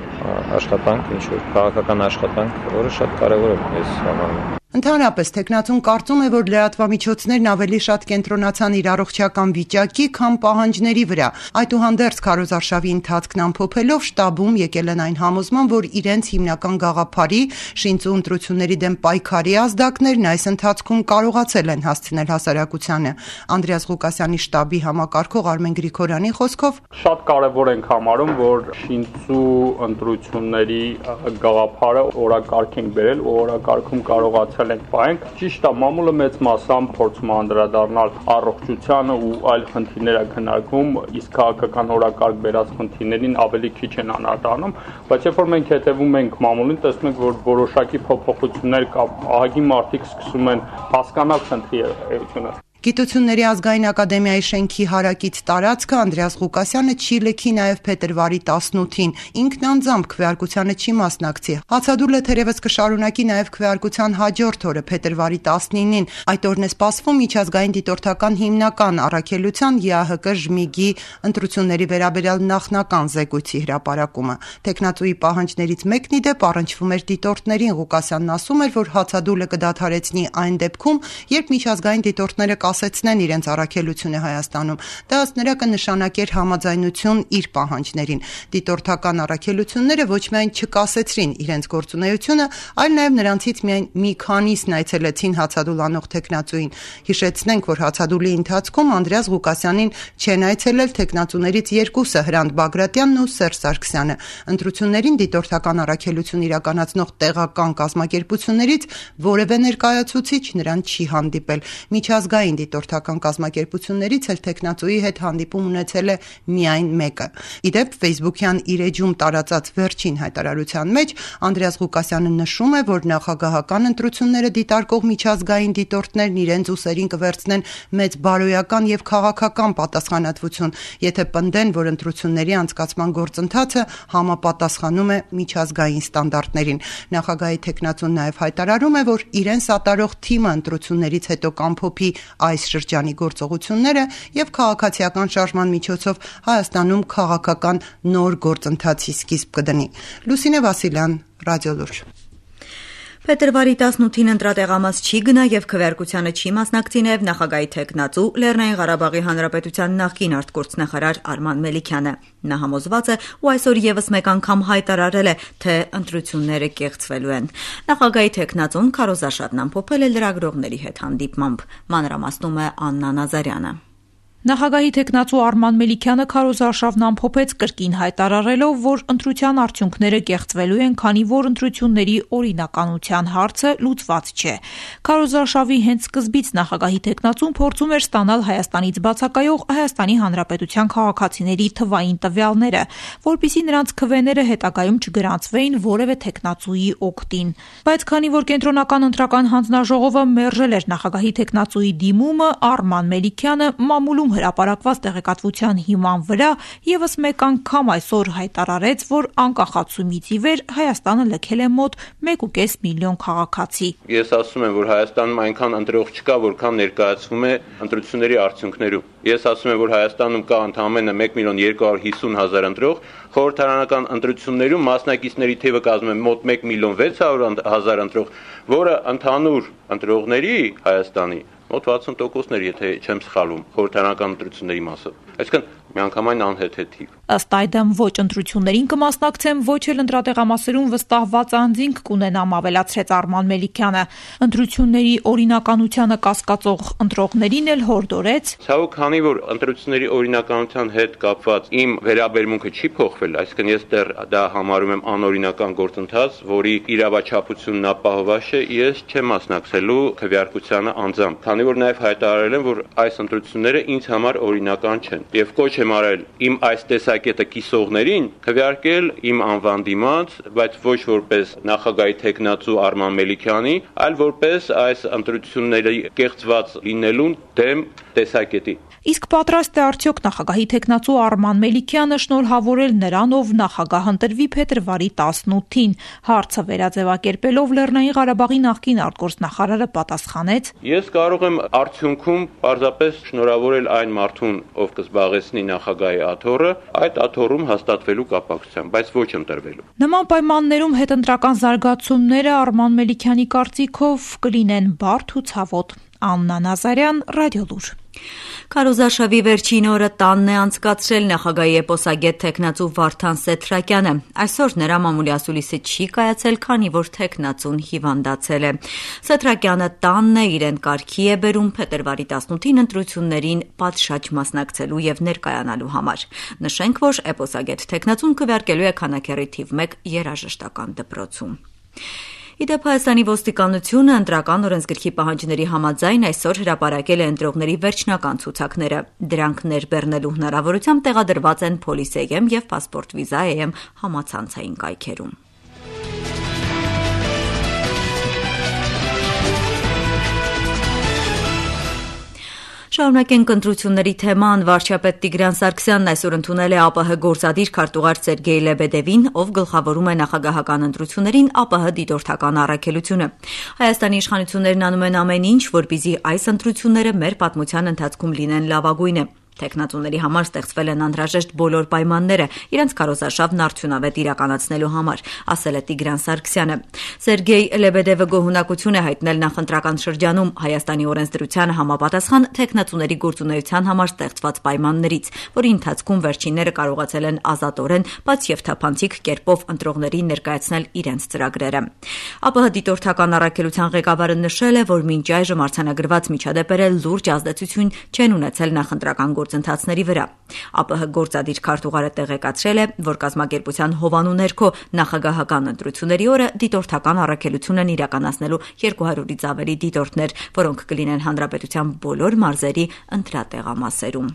Speaker 10: աշխատանք, ինչ որ քաղաքական աշխատանք, որը շատ կարեւոր է այս համարում։
Speaker 9: Ընդհանրապես տեխնացուն կարծում է, որ լրատվամիջոցներն ավելի շատ կենտրոնացան իր առողջական վիճակի, քան պահանջների վրա։ Այդուհանդերձ քարոզարշավի ընթացքն ամփոփելով շտաբում եկել են այն համոզման, որ իրենց հիմնական գաղափարի շինծու ընտրությունների դեմ պայքարի ազդակներն այս ընթացքում կարողացել են հասցնել հասարակությանը։ Անդրեաս Ղուկասյանի շտաբի համակարգող Արմեն Գրիգորյանի խոսքով
Speaker 12: շատ կարևոր ենք համարում, որ շինծու ընտրությունների գաղափարը օրակարգ ենք բերել, օրակարգում կարողացել ենք պահենք։ Ճիշտ է, մամուլը մեծ մասամբ փորձում է անդրադառնալ առողջությանը ու այլ խնդիրները քննարկում, իսկ քաղաքական օրակարգ բերած խնդիրներին ավելի քիչ են անդրադառնում, բայց երբ որ մենք հետևում ենք մամուլին, տեսնում ենք, որ որոշակի փոփոխություններ կա, ահագին մարդիկ սկսում են հասկանալ խնդրի էությունը։
Speaker 9: Գիտությունների ազգային ակադեմիայի շենքի հարակից տարածքը Անդրեաս Ղուկասյանը չի լքի նաև փետրվարի տասնութին, ինքն անձամբ քվեարկությանը չի մասնակցի։ Հացադուլը թերևս կշարունակի նաև քվեարկության հաջորդ օրը փետրվարի տասնինին։ Այդ օրն է սպասվում միջազգային դիտորդական հիմնական առաքելության ԵԱՀԿ ԺՄԻԳ-ի ընտրությունների վերաբերյալ նախնական զեկույցի հրապարակումը։ Տեխնացուի պահանջներից մեկն ի դեպ առնչվում էր դիտորդներին։ Ղուկասյանն ասում էր, որ հացադուլը կդադարեցնի այն դեպքում, երբ միջազգային դիտորդները ասեցնեն իրենց առաքելությունը Հայաստանում։ Դա ըստ նրա կնշանակեր համաձայնություն իր պահանջներին։ Դիտորդական առաքելությունները ոչ միայն չկասեցրին իրենց գործունեությունը, այլ նաև նրանցից միայն մի քանիսն այցելեցին հացադուլ անող տեխնացուին։ Հիշեցնենք, որ հացադուլի ընթացքում Անդրեաս Ղուկասյանին չեն այցելել տեխնացուներից երկուսը՝ Հրանտ Բագրատյանն ու Սերժ Սարգսյանը։ Ընտրություններին դիտորդական առաքելություն իրականացնող տեղական կազմակերպություններից որևէ ներկայացուցիչ նրան չի հանդիպել։ Միջազգային դիտորդական կազմակերպություններից էլ տեխնացուի հետ հանդիպում ունեցել է միայն մեկը։ Իդեպ Facebook-յան իր էջում տարածած վերջին հայտարարության մեջ Անդրեաս Ղուկասյանը նշում է, որ նախագահական ընտրությունները դիտարկող միջազգային դիտորդներն իրենց ուսերին կվերցնեն մեծ բարոյական եւ քաղաքական պատասխանատվություն, եթե պնդեն, որ ընտրությունների անցկացման գործընթացը համապատասխանում է միջազգային ստանդարտներին։ Նախագահի տեխնացուն նաև հայտարարում է, որ իրեն սատարող թիմը ընտրություններից հետո կամփոփի այս շրջանի գործողությունները եւ քաղաքացիական շարժման միջոցով Հայաստանում քաղաքական նոր գործընթացի սկիզբ կդնի։ Լուսինե Վասիլյան, Ռադիոլուրջ։
Speaker 1: Փետրվարի տասնութին ընտրատեղամաս չի գնա եւ քվեարկությանը չի մասնակցի նաեւ նախագահի տեխնացու Լեռնային Ղարաբաղի Հանրապետության նախկին արտգործնախարար Արման Մելիքյանը։ Նա համոզված է ու այսօր եւս մեկ անգամ հայտարարել է, թե ընտրությունները կեղծվելու են։ Նախագահի տեխնացուն քարոզարշավն ամփոփել է լրագրողների հետ հանդիպմամբ։ Մանրամասնում է Աննա Նազարյանը։
Speaker 13: Նախագահի տեխնացու Արման Մելիքյանը քարոզարշավն ամփոփեց կրկին հայտարարելով, որ ընտրության արդյունքները կեղծվելու են, քանի որ ընտրությունների օրինականության հարցը լուծված չէ։ Քարոզարշավի հենց սկզբից նախագահի տեխնացուն փորձում էր ստանալ Հայաստանից բացակայող Հայաստանի Հանրապետության քաղաքացիների թվային տվյալները, որպեսզի նրանց քվեները հետագայում չգրանցվեին որևէ տեխնացուի օգտին։ Բայց քանի որ կենտրոնական ընտրական հանձնաժողովը մերժել էր նախագահի տեխնացուի դիմումը, Արման Մելիքյանը մամուլում հրապարակված տեղեկատվության հիման վրա եւս մեկ անգամ այսօր հայտարարեց, որ անկախացումից ի վեր Հայաստանը լքել է մոտ մեկ ու կես միլիոն քաղաքացի։
Speaker 14: Ես ասում եմ, որ Հայաստանում այնքան ընտրող չկա, որքան ներկայացվում է ընտրությունների արդյունքներում։ Ես ասում եմ, որ Հայաստանում կա ընդամենը մեկ միլիոն երկու հարյուր հիսուն հազար ընտրող, խորհրդարանական ընտրություններում մասնակիցների թիվը կազմում է մոտ մեկ միլիոն վեց հարյուր հազար ընտրող, որը ընդհանուր ընտրողների Հայաստանի մոտ վաթսուն տոկոսներ, եթե չեմ սխալվում, խորհրդարանական ընտրությունների մասը։ Այսինքն միանգամայն անհեթեթիվ։
Speaker 13: Ըստ այդմ ոչ ընտրություններին կմասնակցեմ, ոչ էլ ընտրատեղամասերում վստահված անձինք կունենամ, ավելացրեց Արման Մելիքյանը։ Ընտրությունների օրինականությանը կասկածող ընտրողներին էլ հորդորեց.
Speaker 14: Ցավոք, քանի որ ընտրությունների օրինականության հետ կապված իմ վերաբերմունքը չի փոխվել, այսինքն ես դեռ դա համարում եմ անօրինական գործընթաց, որի իրավաչափությունն ապահովված է, ես չեմ մասնակցելու քվեարկությանը անձամբ, քանի որ նաև հայտարարել եմ, որ այս ընտրությունները ինձ համար օրինական չեն, եւ կոչ եմ արել իմ այս տեսակետը կիսողներին քվեարկել իմ անվան դիմաց, բայց ոչ որպես նախագահի թեկնածու Արման Մելիքյանի, այլ որպես այս ընտրությունների կեղծված լինելուն դեմ տեսակետի։
Speaker 13: Իսկ պատրաստ է արդյոք նախագահի թեկնածու Արման Մելիքյանը շնորհավորել նրան, ով նախագահ ընտրվի փետրվարի տասնութին։ Հարցը վերաձևակերպելով Լեռնային Ղարաբաղի նախկին արտգործնախարարը պատասխանեց.
Speaker 14: Ես կարող եմ արդյունքում պարզապես շնորհավորել այն մարդուն, ով կզբաղեցնի նախագահի աթոռը, այդ աթոռում հաստատվելու կապակցությամբ, բայց ոչ ընտրվելու։
Speaker 13: Նման պայմաններում հետընտրական զարգացումները Արման Մելիքյանի կարծիքով կլինեն բարդ ու ցավոտ։ Աննա Նազարյան, Ռադիոլուր։
Speaker 1: Քարոզարշավի վերջին օրը տանն է անցկացրել նախագահի էպոսագետ թեկնածու Վարդան Սեթրակյանը։ Այսօր նրա մամուլի ասուլիսը չի կայացել, քանի որ թեկնածուն հիվանդացել է։ Սեթրակյանը տանն է, իրեն կարգի է բերում փետրվարի տասնութին ընտրություններին պատշաճ մասնակցելու եւ ներկայանալու համար։ Նշենք, որ էպոսագետ թեկնածուն քվեարկելու է Քանաքեռի թիվ մեկ երաժշտական դպրոցում։ Իդեպ Հայաստանի ոստիկանությունը ընտրական օրենսգրքի պահանջների համաձայն այսօր հրապարակել է ընտրողների վերջնական ցուցակները։ Դրանք ներբեռնելու հնարավորությամբ տեղադրված են Police.am եւ Passport-Visa.am համացանցային կայքերում։ Շարունակենք ընտրությունների թեման։ Վարչապետ Տիգրան Սարգսյանն այսօր ընդունել է ԱՊՀ գործադիր քարտուղար Սերգեյ Լեբեդևին, ով գլխավորում է նախագահական ընտրություններին ԱՊՀ դիտորդական առաքելությունը։ Հայաստանի իշխանություններն անում են ամեն ինչ, որպեսզի այս ընտրությունները մեր պատմության ընթացքում լինեն լավագույնը։ Տեխնատուների համար ստեղծվել են անհրաժեշտ բոլոր պայմանները իրենց քարոզարշավն արդյունավետ իրականացնելու համար, ասել է Տիգրան Սարգսյանը։ Սերգեյ Լեբեդևը գոհունակություն է հայտնել նախընտրական շրջանում Հայաստանի օրենսդրությանը համապատասխան տեխնատուների գործունեության համար ստեղծված պայմաններից, որի ընթացքում վերջինները կարողացել են ազատորեն, բայց եւ թափանցիկ կերպով ընտրողներին ներկայացնել իրենց ծրագրերը։ ԱՊՀ դիտորդական առաքելության ղեկավարը նշել է, որ մինչ այժմ արձանագրված միջադեպերը լուրջ ազդեցություն չեն ունեցել նախընտրական գործընթացների վրա։ ԱՊՀ գործադիր քարտուղարը տեղեկացրել է, որ կազմակերպության հովանու ներքո նախագահական ընտրությունների օրը դիտորդական առաքելություն են իրականացնելու երկու հարյուրից ավելի դիտորդներ, որոնք կլինեն հանրապետության բոլոր մարզերի ընտրատեղամասերում։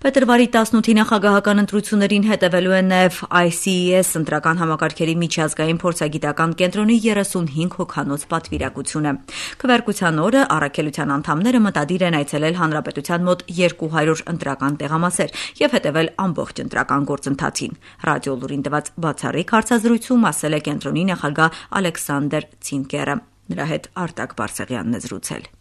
Speaker 1: Փետրվարի տասնութի նախագահական ընտրություններին հետևելու են նաև I C E S ընտրական համակարգերի միջազգային փորձագիտական կենտրոնի երեսունհինգ հոգանոց պատվիրակությունը։ Քվեարկության օրը առաքելության անդամները մտադիր են այցելել հանրապետության մոտ երկու հարյուր ընտրական տեղամասեր եւ հետևել ամբողջ ընտրական գործընթացին։ Ռադիոլուրին տված բացառիկ հարցազրույցում ասել է կենտրոնի նախագահ Ալեքսանդր Ցինկերը։ Նրա հետ Արտակ Բարսեղյանն է զրուցել։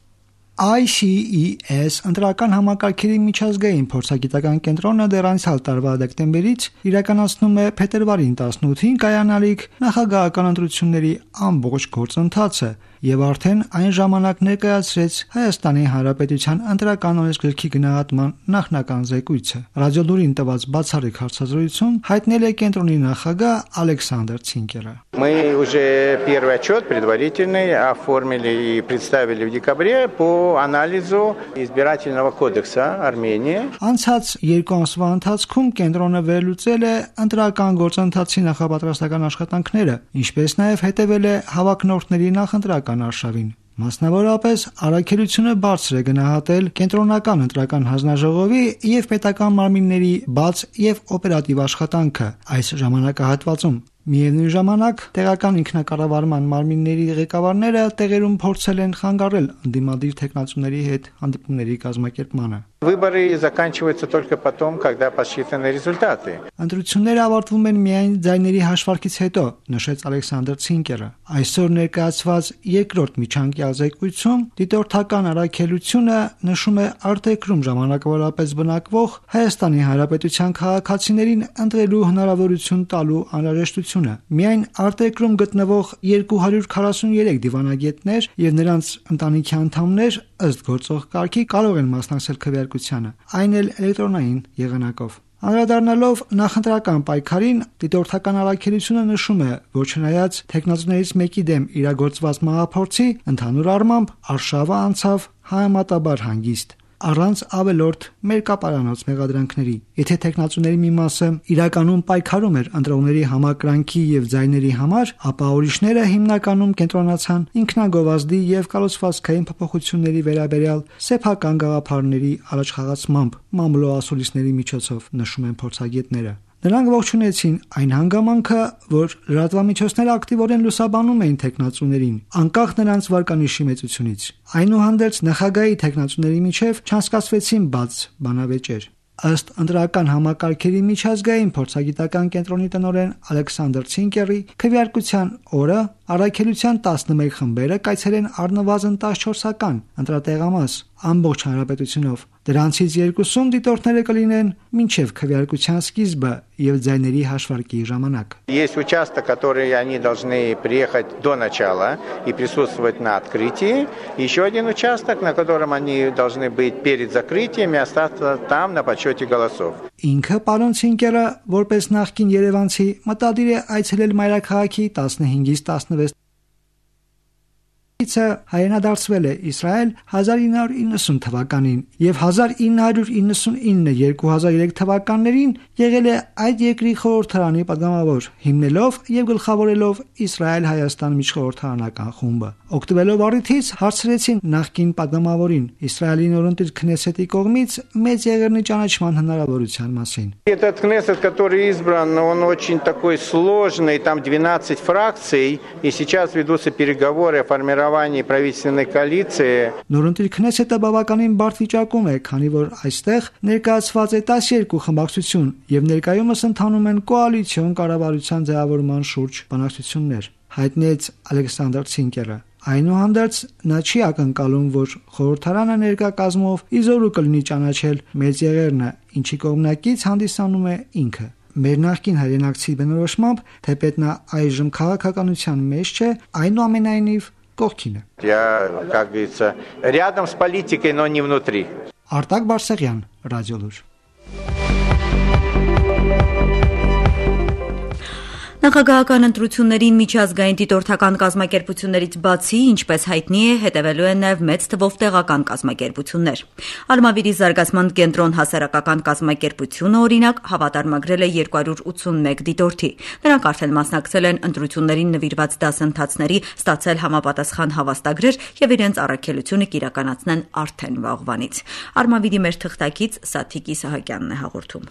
Speaker 15: I C E S ընտրական համակարգերի միջազգային փորձագիտական կենտրոնը դեռ անցյալ տարվա դեկտեմբերից իրականացնում է փետրվարին տասնութին կայանալիք նախագահական ընտրությունների ամբողջ գործընթացը եւ արդեն այն ժամանակ ներկայացրեց Հայաստանի Հանրապետության ընտրական օրենսգրքի գնահատման նախնական զեկույցը։ Ռադիոլուրին տված բացառիկ հարցազրույցում հայտնել է կենտրոնի նախագահ Ալեքսանդր Ցինկերը։
Speaker 16: Мы уже первый отчет предварительный оформили и представили в декабре по анализу избирательного кодекса Армении.
Speaker 15: Անցած երկու ամսվա ընթացքում կենտրոնը վերլուծել է ընտրական գործընթացի նախապատրաստական աշխատանքները, ինչպես նաև հետևել է հավակնորդների նախընտրական արշավին։ Մասնավորապես առաքելությունը բարձր է գնահատել կենտրոնական ընտրական հանձնաժողովի եւ պետական մարմինների բաց եւ օպերատիվ աշխատանքը այս ժամանակահատվածում։ Միևնույն ժամանակ տեղական ինքնակառավարման մարմինների ղեկավարները տեղերում փորձել են խանգարել ընդդիմադիր տեխնացուների հետ հանդիպումների կազմակերպմանը։
Speaker 16: Выборы заканчиваются только потом, когда подсчитаны результаты.
Speaker 15: Ընտրությունները ավարտվում են միայն ձայների հաշվարկից հետո, նշեց Ալեքսանդր Ցինկերը։ Այսօր ներկայացված երկրորդ միջանկյալ զեկույցում դիտորդական առաքելությունը նշում է արտերկրում ժամանակավորապես բնակվող Հայաստանի Հանրապետության քաղաքացիներին ընտրելու հնարավորություն տալու անհրաժեշտությունը։ Միայն արտերկրում գտնվող երկու հարյուր քառասուներեք դիվանագետներ եւ նրանց ընտանիքի անդամներ ըստ գործող կարգի կարող են մասնակցել քվեարկությանը, այն էլ էլեկտրոնային եղանակով։ Անդրադառնալով նախընտրական պայքարին, դիտորդական առաքելությունը նշում է, որ չնայած թեկնածուներից մեկի դեմ իրագործված մահափորձի, ընդհանուր առմամբ արշավը անցավ համեմատաբար հանգիստ, առանց ավելորդ մերկապարանոց մեղադրանքների։ Եթե թեկնածուների մի մասը իրականում պայքարում էր ընտրողների համակրանքի եւ ձայների համար, ապա ուրիշները հիմնականում կենտրոնացան ինքնագովազդի եւ կառուցվածքային փոփոխությունների վերաբերյալ սեփական գաղափարների առաջխաղացմամբ մամուլոասուլիսների միջոցով, նշում են փորձագետները։ Նրանք ողջունեցին այն հանգամանքը, որ լրատվամիջոցները ակտիվորեն լուսաբանում էին թեկնածուներին, անկախ նրանց վարկանիշի մեծությունից։ Այնուհանդերձ նախագահի թեկնածուների միջև չանցկացվեցին բաց բանավեճեր։ Ըստ ընտրական համակարգերի միջազգային փորձագիտական կենտրոնի տնօրեն Ալեքսանդր Ցինկերի, քվեարկության օրը առաքելության տասնմեկ խմբերը կայցելեն առնվազն տասնչորսական ընտրատեղամաս ամբողջ հանրապետությունով։ Դրանցից երկուսում դիտորդները կլինեն մինչև քվեարկության սկիզբը եւ ձայների հաշվարկի ժամանակ։
Speaker 16: Есть участок, который они должны приехать до начала и присутствовать на открытии. Еще один участок, на котором они должны быть перед закрытием и остаться там на подсчете голосов.
Speaker 15: Ինքը պարոն Ցինկերը, որպես նախկին երևանցի, մտադիր է այցելել մայրաքաղաքի տասնհինգից տասնվեց հայրենադարձվել է Իսրայել հազար ինը հարյուր իննսուն թվականին եւ հազար ինը հարյուր իննսունինը երկու հազար երեք թվականներին եղել է այդ երկրի խորհրդարանի պատգամավոր, հիմնելով եւ գլխավորելով Իսրայել-Հայաստան միջխորհրդարանական խումբը։ Օգտվելով առիթից հարցրեցին նախկին պատգամավորին Իսրայելի նորընտիր Քնեսետի կողմից մեծ եղերնի ճանաչման հնարավորության մասին։
Speaker 16: Этот Кнессет, который избран, он очень такой сложный, там двенадцать фракций, и сейчас ведутся переговоры о формировании правительственной коалиции.
Speaker 15: Նորընտիր Քնեսետը բավականին բարդ վիճակում է, քանի որ այստեղ ներկայացված է տասներկու խմբակցություն եւ ներկայումս ընթանում են կոալիցիոն կառավարության ձևավորման շուրջ բանակցություններ, հայտնեց Ալեքսանդր Ցինկերը։ Այնուհանդերձ նա չի ակնկալում, որ խորհրդարանը ներկա կազմով իզորու կլինի ճանաչել մեծ եղերնը, ինչի կողմնակից հանդիսանում է ինքը։ Մեր նախկին հայրենակցի բնորոշմամբ, թեպետ նա այժմ քաղաքականության մեջ չէ, այնուամենայնիվ կողքին է։
Speaker 16: Я, как говорится, рядом с политикой, но не внутри.
Speaker 15: Արտակ Բարսեղյան, Ռադիոլուր։
Speaker 1: Նախագահական ընտրություններին միջազգային դիտորդական կազմակերպություններից բացի, ինչպես հայտնի է, հետևելու են նաև մեծ թվով տեղական կազմակերպություններ։ Արմավիրի զարգացման կենտրոն հասարակական կազմակերպությունը, օրինակ, հավատարմագրել է երկու հարյուր ութսունմեկ դիտորդի։ Նրանք արդեն մասնակցել են ընտրություններին նվիրված դասընթացների, ստացել համապատասխան հավաստագրեր եւ իրենց առաքելությունը կիրականացնեն արդեն վաղվանից։ Արմավիրի մեր թղթակից Սաթիկ Իսահակյանն է հաղորդում։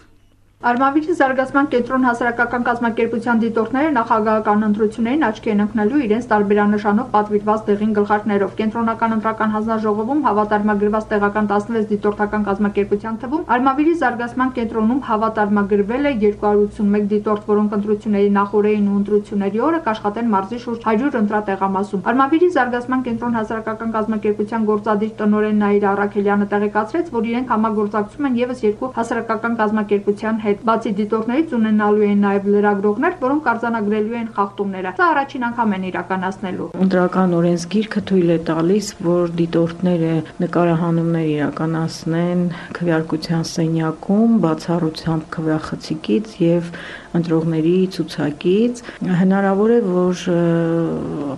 Speaker 17: Արմավիրի զարգացման կենտրոն հասարակական կազմակերպության դիտորդները նախագահական ընտրություններին աչքի են ընկնելու իրենց տարբերանշանով պատվիրված դեղին գլխարկներով։ Կենտրոնական ընտրական հանձնաժողովում հավատարմագրված տեղական տասնվեց դիտորդական կազմակերպության թվում Արմավիրի զարգացման կենտրոնում հավատարմագրվել է երկու հարյուր ութսունմեկ դիտորդ, որոնք ընտրությունների նախօրեին ու ընտրությունների օրը կաշխատեն մարզի շուրջ հարյուր ընտրատեղամասում։ Արմավիրի զարգացման կենտրոն հասարակական կազմակերպության գործադիր տնօրեն Նաիրա Առաքելյանը տեղեկացրեց, որ իրենք համագործակցում են եւս երկու հասարակական կազմակերպության Բացի դիտորդներից ունենալու են նաև լրագրողներ, որոնք արձանագրելու են խախտումները։ Սա առաջին անգամ են իրականացնելու։
Speaker 18: Ընտրական օրենսգիրքը թույլ է տալիս, որ դիտորդները նկարահանումներ իրականացնեն քվեարկության սենյակում, բացառությամբ քվեախցիկից եւ ընտրողների ցուցակից։ Հնարավոր է, որ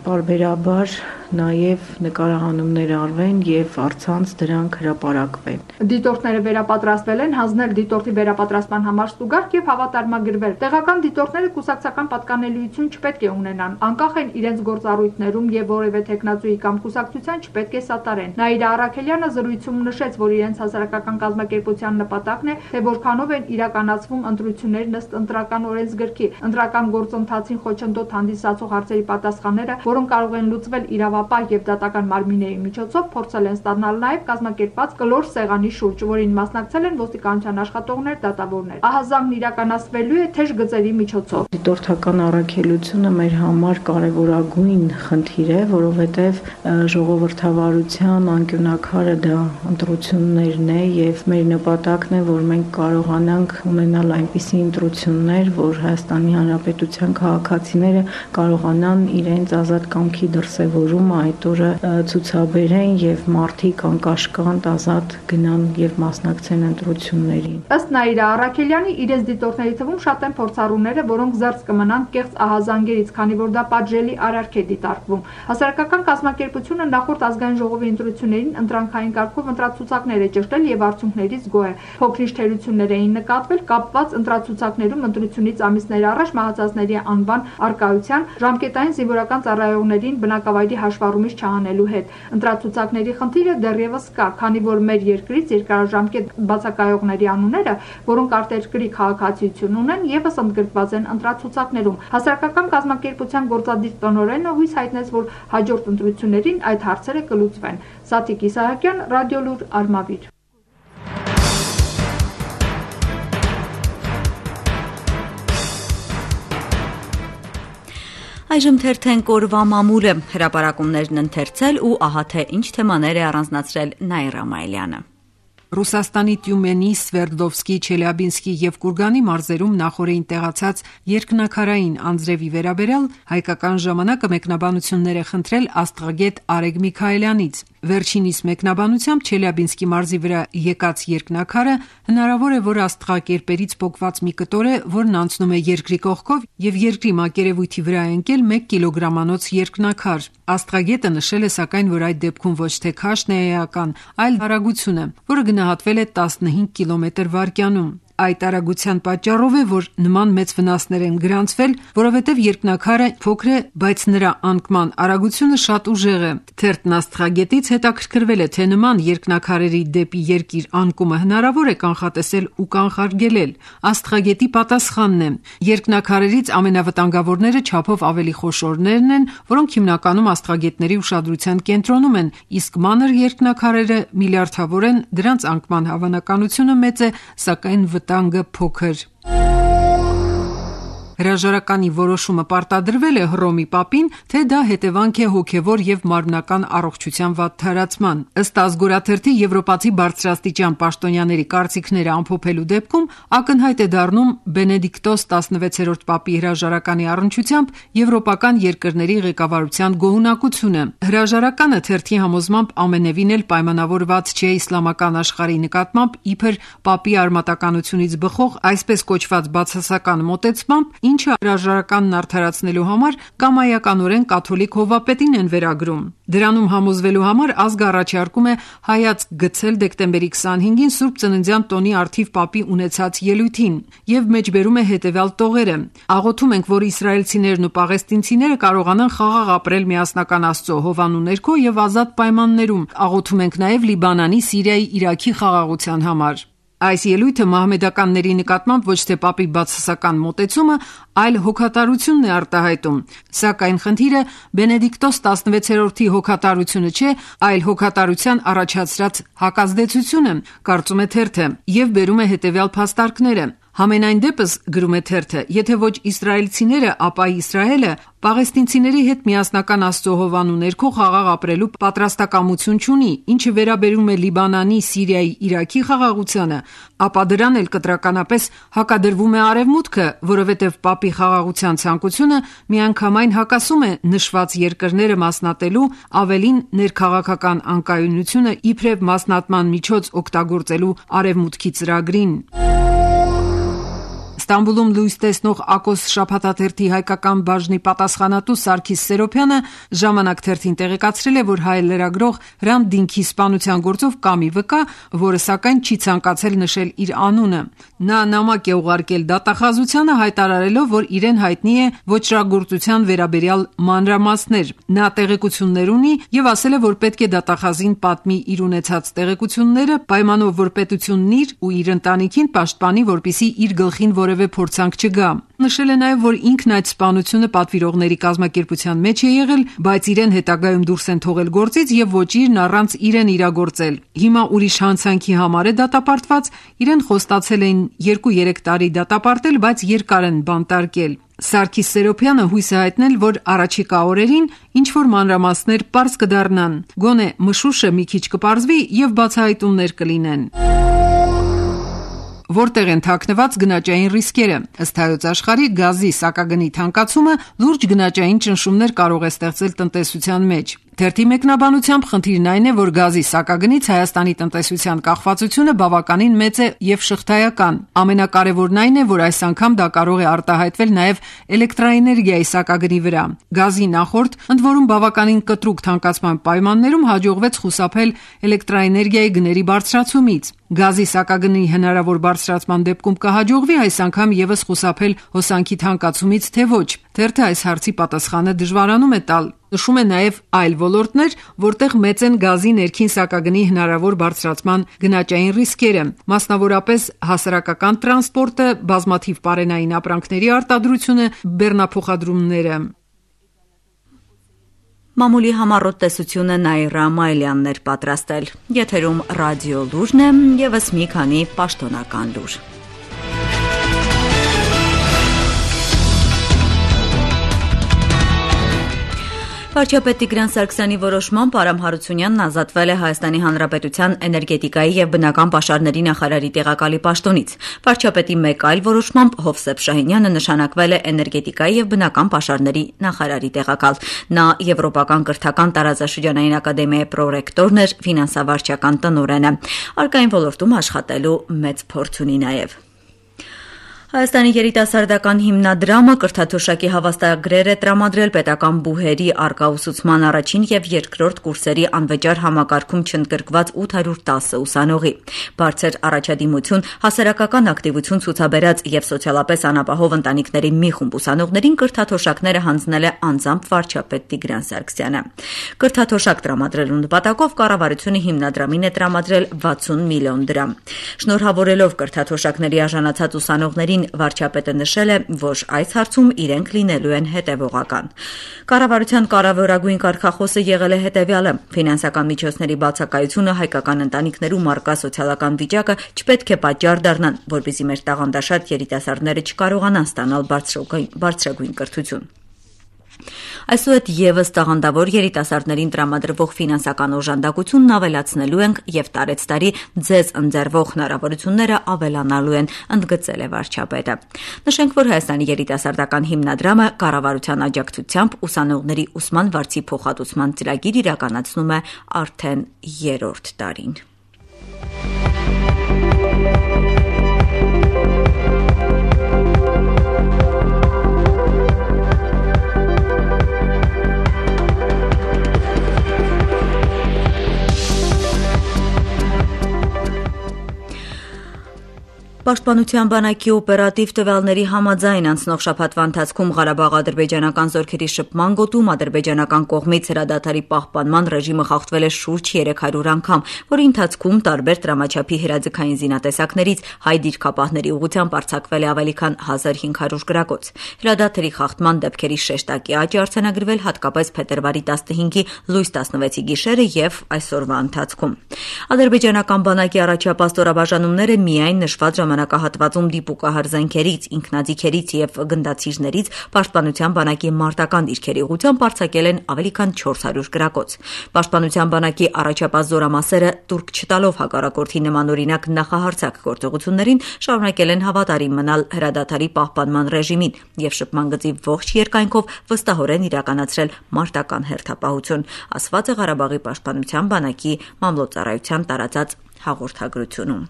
Speaker 18: պարբերաբար նաև նկարահանումներ արվեն եւ առցանց դրանք հրապարակվեն։
Speaker 17: Դիտորդները վերապատրաստվել են, հանձնել դիտորդի վերապատրաստման համար ստուգարք եւ հավատարմագրվել։ Տեղական դիտորդները կուսակցական պատկանելիություն չպետք է ունենան, անկախ են իրենց գործառույթներում եւ որևէ տեխնացուի կամ կուսակցության չպետք է սատարեն։ Նաիրա Առաքելյանը զրույցում նշեց, որ իրենց հասարակական կազմակերպության նպատակն է, թե որքանով են իրականացվում ընտրություններ ըստ ընտրական օրենսգրքի, ընտրական գործընթացին խոչընդոտ հանդիսացող հարցերի պատասխանները, որոնք կարող են լուծվել իրավապահ եւ դատական մարմինների միջոցով, փորձել են ստանալ նաեւ կազմակերպված կլոր սեղանի շուրջ, որին մասնակցել են ոստիկանության աշխատողներ, դատավորներ։ Ահազանգն իրականացվելու է թեժ գծերի միջոցով։
Speaker 18: Դիտորդական առաքելությունը մեր համար կարևորագույն խնդիր է, որովհետեւ ժողովրդավարության անկյունակարը դա ընտրություններն է եւ մեր նպատակն է, որ մենք կարողանանք ունենալ այնպիսի ընտրություններ, որ Հայաստանի Հանրապետության քաղաքացիները կարողանան իրենց ազատ կամքի դրսևորումը այդ օրը ցուցաբերեն եւ մարդիկ անկաշկանդ ազատ գնան եւ մասնակցեն ընտրություններին։
Speaker 17: Ըստ Նաիրա Առաքելյանի, իրենց դիտորդների թվում շատ են փորձառուները, որոնք զերծ կմնան կեղծ ահազանգերից, քանի որ դա պատժելի արարք է դիտարկվում։ Հասարակական կազմակերպությունը նախորդ ազգային ժողովի ընտրություններին ընտրանքային կարգով ընտրացուցակներ է ճշտել եւ արդյունքներից գոհ է։ Փոքրինչ թերություններ էին նկատվել կապված ընտրացուցակներում ընտրությունից ամիսներ առաջ մահացածների անվան արկայության, ժամկետային զինվորական ծառայողներին բնակավայրի հաշվառումից չհանելու հետ։ Ընտրացուցակների խնդիրը դեռևս կա, քանի որ մեր երկրից երկարաժամկետ բացակայողների անունները, որոնք արտերկրի քաղաքացիություն ունեն, եւս ընդգրկված են ընտրացուցակներում։ Հասարակական կազմակերպության գործադիր տնօրենը հույս հայտնեց, որ հաջորդ ընտրություններին այդ հարցերը կլուծվեն։ Սաթիկ Իսահակյան, Ռադիոլուր, Արմավիր։
Speaker 1: Այժմ թերթենք օրվա մամուլը, հրապարակումներն ընթերցել ու ահա թե ինչ թեմաներ է առանձնացրել Նաիրա Մայլյանը։
Speaker 19: Ռուսաստանի Տյումենի, Սվերդլովսկի, Չելյաբինսկի եւ Կուրգանի մարզերում նախորդին տեղացած երկնաքարային անձրևի վերաբերյալ հայկական ժամանակը մեկնաբանություններ է խնդրել աստղագետ Արեգ Միքայելյանից։ Վերջինիս մեկնաբանությամբ Չելյաբինսկի մարզի վրա եկած երկնաքարը հնարավոր է, որ աստղակերպերից պոկված մի կտոր է, որն անցնում է երկրի կողքով եւ երկրի մակերևույթի վրա է ընկել մեկ կիլոգրամանոց երկնաքար։ Աստղագետը նշել է սակայն, որ այդ դեպքում ոչ թե քաշն է էական, այլ արագությունը, որը գնահատվել է տասնհինգ կիլոմետր վայրկյանում։ Այդ արագության պատճառով է, որ նման մեծ վնասներ են գրանցվել, որովհետև երկնաքարը փոքր է, բայց նրա անկման արագությունը շատ ուժեղ է։ Թերթն աստղագետից հետաքրքրվել է, թե նման երկնաքարերի դեպի երկիր անկումը հնարավոր է կանխատեսել ու կանխարգելել։ Աստղագետի պատասխանն է. երկնաքարերից ամենավտանգավորները չափով ավելի խոշորներն են, որոնք հիմնականում աստղագետների ուշադրության կենտրոնում են, իսկ մանր երկնաքարերը միլիարդավոր են, դրանց անկման հավանականությունը մեծ է, սակայն վտանգը փոքր։ Հրաժարականի որոշումը պարտադրվել է Հռոմի Պապին, թե դա հետևանք է հոգևոր եւ մարմնական առողջության վատթարացման։ Ըստ Ազգորաթերթի եվրոպացի բարձրաստիճան պաշտոնյաների կարծիքները ամփոփելու դեպքում ակնհայտ է դառնում Բենեդիկտոս տասնվեցերորդ Պապի հրաժարականի առնչությամբ եվրոպական երկրների ղեկավարության գոհունակությունը։ Հրաժարականը թերթի համոզմամբ ամենևին էլ պայմանավորված չէ իսլամական աշխարհի նկատմամբ իբր Պապի արմատականությունից բխող այսպես կոչված բացասական մոտեցմամբ, ինչը հրաժարականն արդարացնելու համար կամայականորեն կաթոլիկ հովվապետին են վերագրում։ Դրանում համոզվելու համար ազգը առաջարկում է հայացք գցել դեկտեմբերի քսանհինգին Սուրբ Ծննդյան տոնի առթիվ Պապի ունեցած ելույթին եւ մեջբերում է հետեւյալ տողերը. աղոթում ենք, որ իսրայելցիներն ու պաղեստինցիները կարողանան խաղաղ ապրել միասնական Աստծո հովանու ներքո եւ ազատ պայմաններում։ Աղոթում ենք նաեւ Լիբանանի, Սիրիայի, Իրաքի խաղաղության համար։ Այս ելույթը մահմեդականների նկատմամբ ոչ թե Պապի բացասական մոտեցումը, այլ հոգատարությունն է արտահայտում։ Սակայն խնդիրը Բենեդիկտոս տասնվեցերորդի հոգատարությունը չէ, այլ հոգատարության առաջացրած հակազդեցությունը, կարծում է թերթը, եւ բերում է հետեւյալ փաստարկները։ Համենայն դեպս, գրում է թերթը, եթե ոչ իսրայելցիները, ապա Իսրայելը պաղեստինցիների հետ միասնական Աստծո հովանու ներքո խաղաղ ապրելու պատրաստակամություն չունի, ինչը վերաբերում է Լիբանանի, Սիրիայի, Իրաքի խաղաղությանը, ապա դրան էլ կտրականապես հակադրվում է Արևմուտքը, որովհետև Պապի խաղաղության ցանկությունը միանգամայն հակասում է նշված երկրները մասնատելու, ավելին ներքաղաքական անկայունությունը իբրև մասնատման միջոց օգտագործելու Արևմուտքի ծրագրին։ Ստամբուլում լույս տեսնող Ակոս շաբաթաթերթի հայկական բաժնի պատասխանատու Սարգիս Սերոբյանը Ժամանակ թերթին տեղեկացրել է, որ հայ լրագրող Հրանտ Դինքի սպանության գործով կա մի վկա, որը սակայն չի ցանկացել նշել իր անունը։ Նա նամակ է ուղարկել դատախազությանը հայտարարելով, որ իրեն հայտնի է ոճրագործության վերաբերյալ մանրամասներ։ Նա տեղեկություններ ունի եւ ասել է, որ պետք է դատախազին պատմի իր ունեցած տեղեկությունները, պայմանով որ պետությունն իր ու իր ընտանիքին պաշտպանի, որպեսզի իր գլխին որևէ փորձանք չգա։ Նշել է նաև, որ ինքն այդ սպանությունը պատվիրողների կազմակերպության մեջ է եղել, բայց իրեն հետագայում դուրս են թողել գործից եւ ոչիրն առանց իրեն իրագործել։ Հիմա ուրիշ հանցանքի համար է դատապարտված, իրեն խոստացել էին երկու-երեք տարի դատապարտել, բայց երկար են բանտարկել։ Սարգիս Սերոբյանը հույս է հայտնել, որ առաջիկա օրերին ինչ-որ մանրամասներ պարզ կդառնան, գոնե մշուշը մի քիչ կպարզվի եւ բացահայտումներ կլինեն։ որտեղ են թաքնված գնաճային ռիսկերը։ Ըստ Հայոց Աշխարհի, գազի սակագնի թանկացումը լուրջ գնաճային ճնշումներ կարող է ստեղծել տնտեսության մեջ։ Թերթի մեկնաբանությամբ խնդիրն այն է, որ գազի սակագնից Հայաստանի տնտեսության կախվածությունը բավականին մեծ է եւ շղթայական։ Ամենակարևորն այն է, որ այս անգամ դա կարող է արտահայտվել նաեւ էլեկտրաէներգիայի սակագնի վրա։ Գազի նախորդ, ընդ որում բավականին կտրուկ թանկացման պայմաններում հաջողվեց խուսափել էլեկտրաէներգիայի գների բարձրացումից։ Գազի սակագնի հնարավոր բարձրացման դեպքում կհաջողվի այս անգամ եւս խուսափել հոսանքի թանկացումից, թե ոչ։ Թերթը այս հարցի պատասխանը դժվարանում է տալ։ Նշում է նաև այլ ոլորտներ, որտեղ մեծ են գազի ներքին սակագնի հնարավոր բարձրացման գնաճային ռիսկերը, մասնավորապես հասարակական տրանսպորտը, բազմաթիվ պարենային ապրանքների արտադրությունը, բեռնափոխադրումները։
Speaker 1: Մամուլի համառոտ տեսությունը Նաիրա Մայլյանն էր պատրաստել։ Եթերում ռադիո լուրն է, եւս մի քանի պաշտոնական լուր։ Վարչապետ Տիգրան Սարգսյանի որոշմամբ Արամ Հարությունյանն ազատվել է Հայաստանի Հանրապետության էներգետիկայի եւ բնական պաշարների նախարարի տեղակալի պաշտոնից։ Վարչապետի մեկ այլ որոշմամբ Հովսեփ Շահինյանը նշանակվել է էներգետիկայի եւ բնական պաշարների նախարարի տեղակալ։ Նա Եվրոպական կրթական տարածաշրջանային ակադեմիայի պրոռեկտորն էր, ֆինանսավարչական տնօրենը։ Արկային ոլորտում աշխատելու մեծ փորձ ունի նաեւ։ Հայաստանի երիտասարդական հիմնադրամը կրթաթոշակի հավաստագրեր է տրամադրել պետական բուհերի առկա ուսուցման առաջին եւ երկրորդ կուրսերի անվճար համակարգում չընդգրկված ութ հարյուր տասը ուսանողի։ Բարձր առաջադիմություն, հասարակական ակտիվություն ցուցաբերած եւ սոցիալապես անապահով ընտանիքների մի խումբ ուսանողներին կրթաթոշակները հանձնել է անձամբ վարչապետ Տիգրան Սարգսյանը։ Կրթաթոշակ տրամադրելու նպատակով կառավարությունը հիմնադրամին է տրամադրել վաթսուն միլիոն դրամ։ Շնորհավորելով կրթաթոշակների արժանացած ուսանողներին վարչապետը նշել է, որ այս հարցում իրենք լինելու են հետևողական։ Կառավարության կարևորագույն կարգախոսը եղել է հետևյալը. ֆինանսական միջոցների բացակայությունը, հայկական ընտանիքներում առկա սոցիալական վիճակը չպետք է պատճառ դառնան, որպեսզի մեր տաղանդաշատ երիտասարդները չկարողանան ստանալ բարձրագույն կրթություն։ Այսուհետ եւս տաղանդավոր երիտասարդներին տրամադրվող ֆինանսական օժանդակությունն ավելացնելու ենք եւ տարեց տարի ձեզ ընձեռվող հնարավորությունները ավելանալու են, ընդգծել է վարչապետը։ Նշենք, որ Հայաստանի երիտասարդական հիմնադրամը կառավարության աջակցությամբ ուսանողների ուսման վարձի փոխհատուցման ծրագիր իրականացնում է արդեն երրորդ տարին։ Պաշտպանության բանակի օպերատիվ տվյալների համաձայն անցնող շաբաթվա ընթացքում Ղարաբաղ-ադրբեջանական զորքերի շփման գոտում ադրբեջանական կողմից հրադադարի պահպանման ռեժիմը խախտվել է շուրջ երեք հարյուր անգամ, որի ընթացքում տարբեր տրամաչափի հրաձգային զինատեսակներից հայ դիրքապահների ուղղությամբ արձակվել է ավելի քան հազար հինգ հարյուր գրակոց։ Հրադադարի խախտման դեպքերի շեշտակի աճ է արձանագրվել հատկապես փետրվարի տասնհինգի լույս տասնվեցի գիշերը եւ այսօրվա ընթացքում։ Ադրբեջանական բանակի առաջապահ ստորաբաժանումները միայն նշված ժամանակահատվածում դիպուկահար զենքերից, ինքնաձիգերից եւ գնդացիրներից պաշտպանության բանակի մարտական դիրքերի ուղղությամբ արձակել են ավելի քան չորս հարյուր գրակոց։ Պաշտպանության բանակի առաջապահ զորամասերը տուրք չտալով հակառակորդի նմանօրինակ նախահարձակ գործողություններին շարունակել են հավատարիմ մնալ հրադադարի պահպանման ռեժիմին եւ շփման գծի ողջ երկայնքով վստահորեն իրականացրել մարտական հերթապահություն, ասված է Ղարաբաղի պաշտպանության բանակի մամլոյցարայության տարածած հաղորդագրությունում։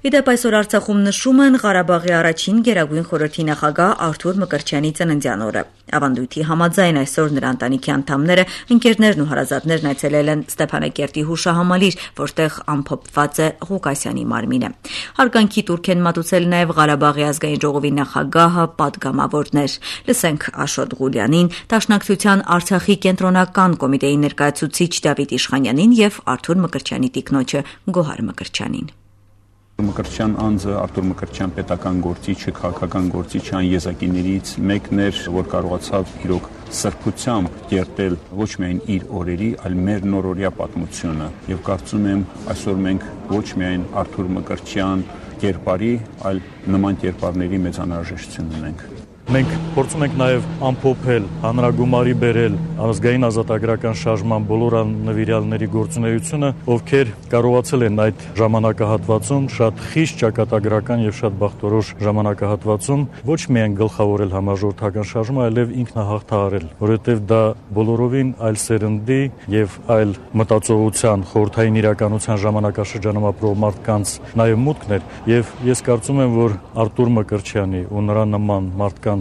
Speaker 1: Իդեպ այսօր Արցախում նշում են Ղարաբաղի առաջին Գերագույն խորհրդի նախագահ Արթուր Մկրտչյանի ծննդյան օրը։ Ավանդույթի համաձայն այսօր նրա ընտանիքի անդամները, ընկերներն ու հարազատներն այցելել են Ստեփանակերտի հուշահամալիր, որտեղ ամփոփված է Ղուկասյանի մարմինը։ Հարգանքի տուրք են մատուցել նաև Ղարաբաղի ազգային ժողովի նախագահը, պատգամավորներ։ Լսենք Աշոտ Ղուլյանին, Դաշնակցության Արցախի կենտրոնական կոմիտեի ներկայացուցիչ Դավիթ Իշխանյանին եւ Արթուր Մկրտչյանի տիկնոջը Գոհար Մկրտչյանին։
Speaker 20: Մկրտչյան անձը Արթուր Մկրտչյան պետական գործիչը, քաղաքական գործիչը այն եզակիներից մեկն էր, որ կարողացավ իրոք սրբությամբ կերտել ոչ միայն իր օրերի, այլ մեր նորօրյա պատմությունը։ Եվ կարծում եմ, այսօր մենք ոչ միայն Արթուր Մկրտչյան կերպարի, այլ նման կերպարների մեծ անհրաժեշտություն ունենք։
Speaker 21: Մենք փորձում ենք նաև ամփոփել, հանրագումարի բերել ազգային ազատագրական շարժման բոլոր նվիրյալների գործունեությունը, ովքեր կարողացել են այդ ժամանակահատվածում շատ խիստ ճակատագրական եւ շատ բախտորոշ ժամանակահատվածում ոչ միայն գլխավորել համաժողովրդական շարժումը, այլև ինքնահաղթահարել, որովհետեւ դա բոլորովին այլ սերնդի եւ այլ մտածողության, խորհրդային իրականության ժամանակաշրջանում ապրող մարդկանց նաև մուտքն էր, եւ ես կարծում եմ, որ Արտուր Մկրտչյանի ու նրա նման մարդկանց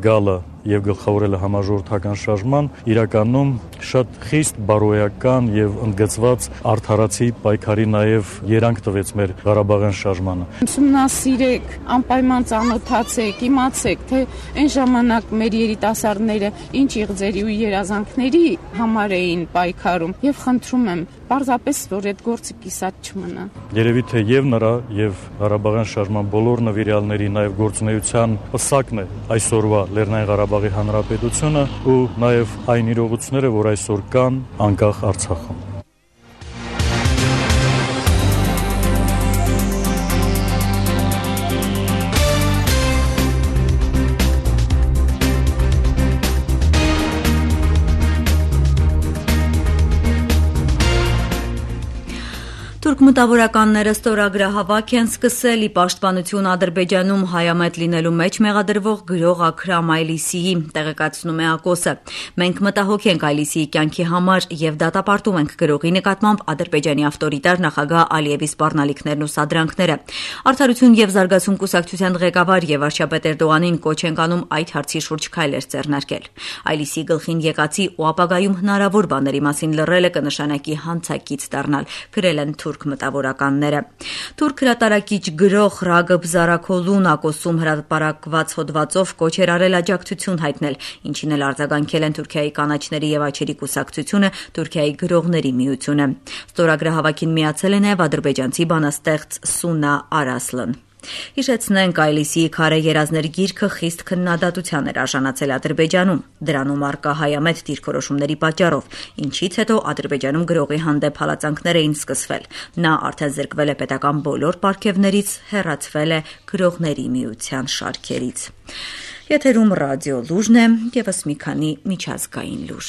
Speaker 21: գալը եւ գլխավորելը համաժողովրդական շարժման իրականում շատ խիստ բարոյական եւ ընդգծված արդարացի պայքարի նաեւ երանգ տվեց մեր Ղարաբաղյան շարժմանը։
Speaker 22: Ուսումնասիրեք, անպայման ծանոթացեք, իմացեք, թե այն ժամանակ մեր երիտասարդները ինչ իղձերի ու երազանքների համար էին պայքարում եւ խնդրում եմ պարզապես որ այդ գործը կիսատ չմնա։
Speaker 21: Երևի թե եւ նրա եւ Ղարաբաղյան շարժման բոլոր նվիրյալների նաեւ գործունեության պսակն է այսօրվա Լեռնային Ղարաբաղի Հանրապետությունը ու նաեւ այն իրողությունները, որ այսօր կան անկախ Արցախում։
Speaker 1: Թուրք մտավորականները ստորագրահավաք են սկսել ի պաշտպանություն Ադրբեջանում հայամետ լինելու մեջ մեղադրվող գրող Աքրամ Այլիսիի, տեղեկացնում է ԱԿՕՍ-ը։ Մենք մտահոգ ենք Այլիսիի կյանքի համար եւ դատապարտում ենք գրողի նկատմամբ Ադրբեջանի ավտորիտար նախագահ Ալիևի սպառնալիքներն ու սադրանքները։ Արդարություն եւ զարգացում կուսակցության ղեկավար եւ վարչապետ Էրդողանին կոչ ենք անում այդ հարցի շուրջ քայլեր ձեռնարկել։ Այլիսիի գլխին եկածի ու ապագայում հնարավոր բաների մասին լռելը կնշանակի հանցակից դառնալ, գրել են թուրք մտավորականները։ Թուրք հրատարակիչ գրող Ռագըբ Զարաքոլուն ԱԿՕՍ-ում հրապարակված հոդվածով կոչ էր արել աջակցություն հայտնել, ինչին էլ արձագանքել են Թուրքիայի կանաչների եւ աչերի կուսակցությունը, Թուրքիայի գրողների միությունը։ Ստորագրահավաքին միացել է նաեւ ադրբեջանցի բանաստեղծ Սունա Արասլան։ Հիշեցնենք, Այլիսիի քարե երազներ գիրքը խիստ քննադատության էր արժանացել Ադրբեջանում, դրանում առկա հայամետ դիրքորոշումների պատճառով, ինչից հետո Ադրբեջանում գրողի հանդեպ հալածանքներ էին սկսվել։ Նա արդեն զրկվել է պետական բոլոր պարգևներից, հեռացվել է գրողների միության շարքերից։ Եթերում ռադիո լուրն է, եւս մի քանի միջազգային լուր։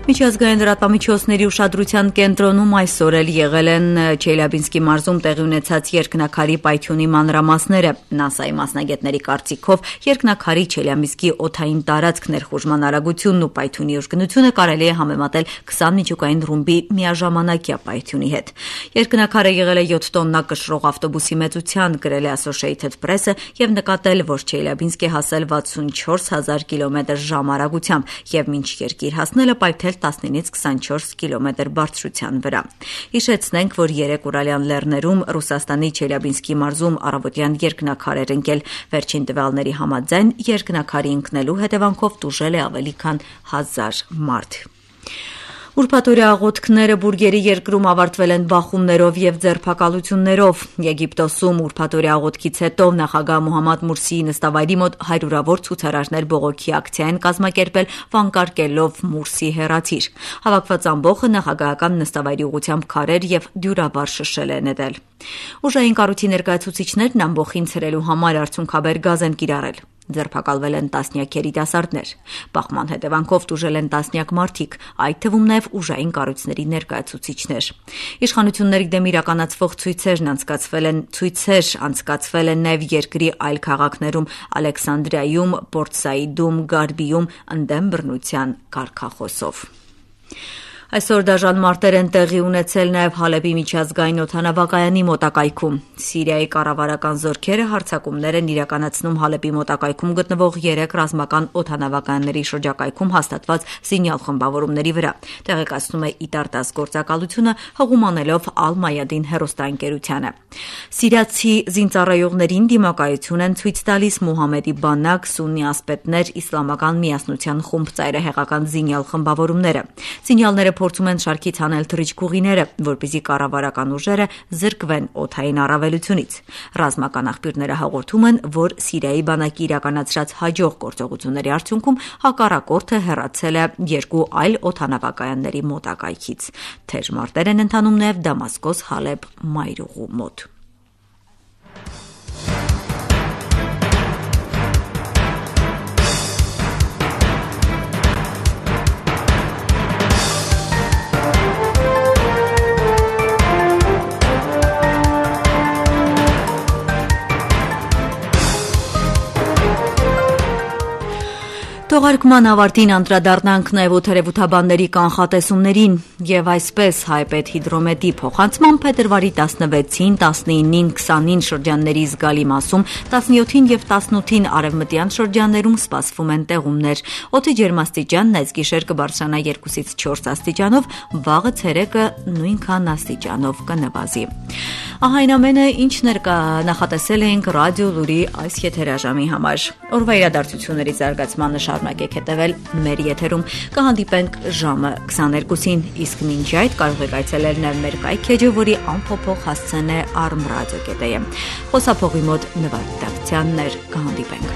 Speaker 1: Միջազգային լրատվամիջոցների ուշադրության կենտրոնում այսօր էլ եղել են Չելյաբինսկի մարզում տեղի ունեցած երկնաքարի պայթյունի մանրամասները։ ՆԱՍԱ-ի մասնագետների կարծիքով երկնաքարի Չելյաբինսկի օդային տարածք ներխուժման արագությունն ու պայթյունի ուժգնությունը կարելի է համեմատել քսան միջուկային ռումբի միաժամանակյա պայթյունի հետ։ Երկնաքարը եղել է յոթ տոննա կշռող ավտոբուսի մեծության, գրել է Associated Press-ը եւ նկատել, որ Չելյաբինսկ է հասել վաթսունչորս հազար կիլոմետր ժամ արագությամբ եւ մինչ երկիր հասնելը պայթել տասնինից քսանչորս կիլոմետր բարձրության վրա։ Հիշեցնենք, որ երեք Ուրալյան լեռներում Ռուսաստանի Չելյաբինսկի մարզում առավոտյան երկնաքար էր ընկել։ Վերջին տվյալների համաձայն երկնաքարի ընկնելու հետևանքով տուժել է ավելի քան հազար մարդ։ Ուրբաթօրյա աղոթքները Բուրգերի երկրում ավարտվել են բախումներով եւ ձերբակալություններով։ Եգիպտոսում ուրբաթօրյա աղոթքից հետո նախագահ Մոհամմադ Մուրսիի նստավայրի մոտ հարյուրավոր ցուցարարներ բողոքի ակցիա են կազմակերպել, վանկարկելով Մուրսի հեռացիր։ Հավաքված ամբոխը նախագահական նստավայրի ուղղությամբ քարեր եւ դյուրաբար շշել է նետել։ Ուժային կառույցի ներկայացուցիչներն ամբոխին ցրելու համար արցունքաբեր գազ են կիրառել։ Ձերբակալվել են տասնյակ երիտասարդներ։ Բախման հետևանքով տուժել են տասնյակ մարդիկ, այդ թվում նաև ուժային կառույցների ներկայացուցիչներ։ Իշխանությունների դեմ իրականացվող ցույցերն անցկացվել են ցույցեր անցկացվել են նաև երկրի այլ քաղաքներում՝ Ալեքսանդրիայում, Պորտ Սաիդում, Գարբիում ընդդեմ բռնության կարգախոսով։ Այսօր դաժան մարտեր են տեղի ունեցել նաև Հալեբի միջազգային օդանավակայանի մոտակայքում։ Սիրիայի կառավարական զորքերը հարձակումներ են իրականացնում Հալեբի մոտակայքում գտնվող երեք ռազմական օդանավակայանների շրջակայքում հաստատված զինյալ խմբավորումների վրա, տեղեկացնում է ԻՏԱՐ-դաս գործակալությունը, հղումանելով Ալ-Մայադին հեռուստաընկերությանը։ Սիրիացի զինծառայողներին դիմակայություն են ցույց տալիս Մուհամեդի բանակ, սուննի ասպետներ, իսլամական միասնության խումբ ծայրահեղական զինյալ խմբավորումները։ Զինյալները փորձում են շարքից հանել թռիչքուղիները, որպեսզի կառավարական ուժերը զրկվեն օդային առավելությունից։ Ռազմական աղբյուրները հաղորդում են, որ Սիրիայի բանակի իրականացրած հաջող գործողությունների արդյունքում հակառակորդը հեռացել է երկու այլ օդանավակայանների մոտակայքից։ Թեժ մարտեր են ընթանում նաև Դամասկոս-Հալեբ մայրուղու մոտ։ Թողարկման ավարտին անդրադառնանք նաև օդերևութաբանների կանխատեսումներին եւ այսպես հայպետ հիդրոմետի փոխանցման փետրվարի տասնվեցին, տասնինին, քսանին շրջանների զգալի մասում, տասնյոթին եւ տասնութին արևմտյան շրջաններում սպասվում են տեղումներ։ Օդի ջերմաստիճանն այս գիշեր կբարձրանա երկուսից չորս աստիճանով, վաղը ցերեկը նույնքան աստիճանով կնվազի։ Ահա այն ամենը, ինչ ներկա նախատեսել էինք ռադիո լուրի այս եթերաժամի համար։ Օրվա իրադարձությունների զարգացմանը շարունակեք հետևել մեր եթերում, կհանդիպենք ժամը քսաներկուսին, իսկ մինչ այդ կարող եք այցելել նաև մեր կայքեջը, որի անփոփոխ հասցեն է armradio dot am։ Խոսափողի մոտ նվագ կհանդիպենք։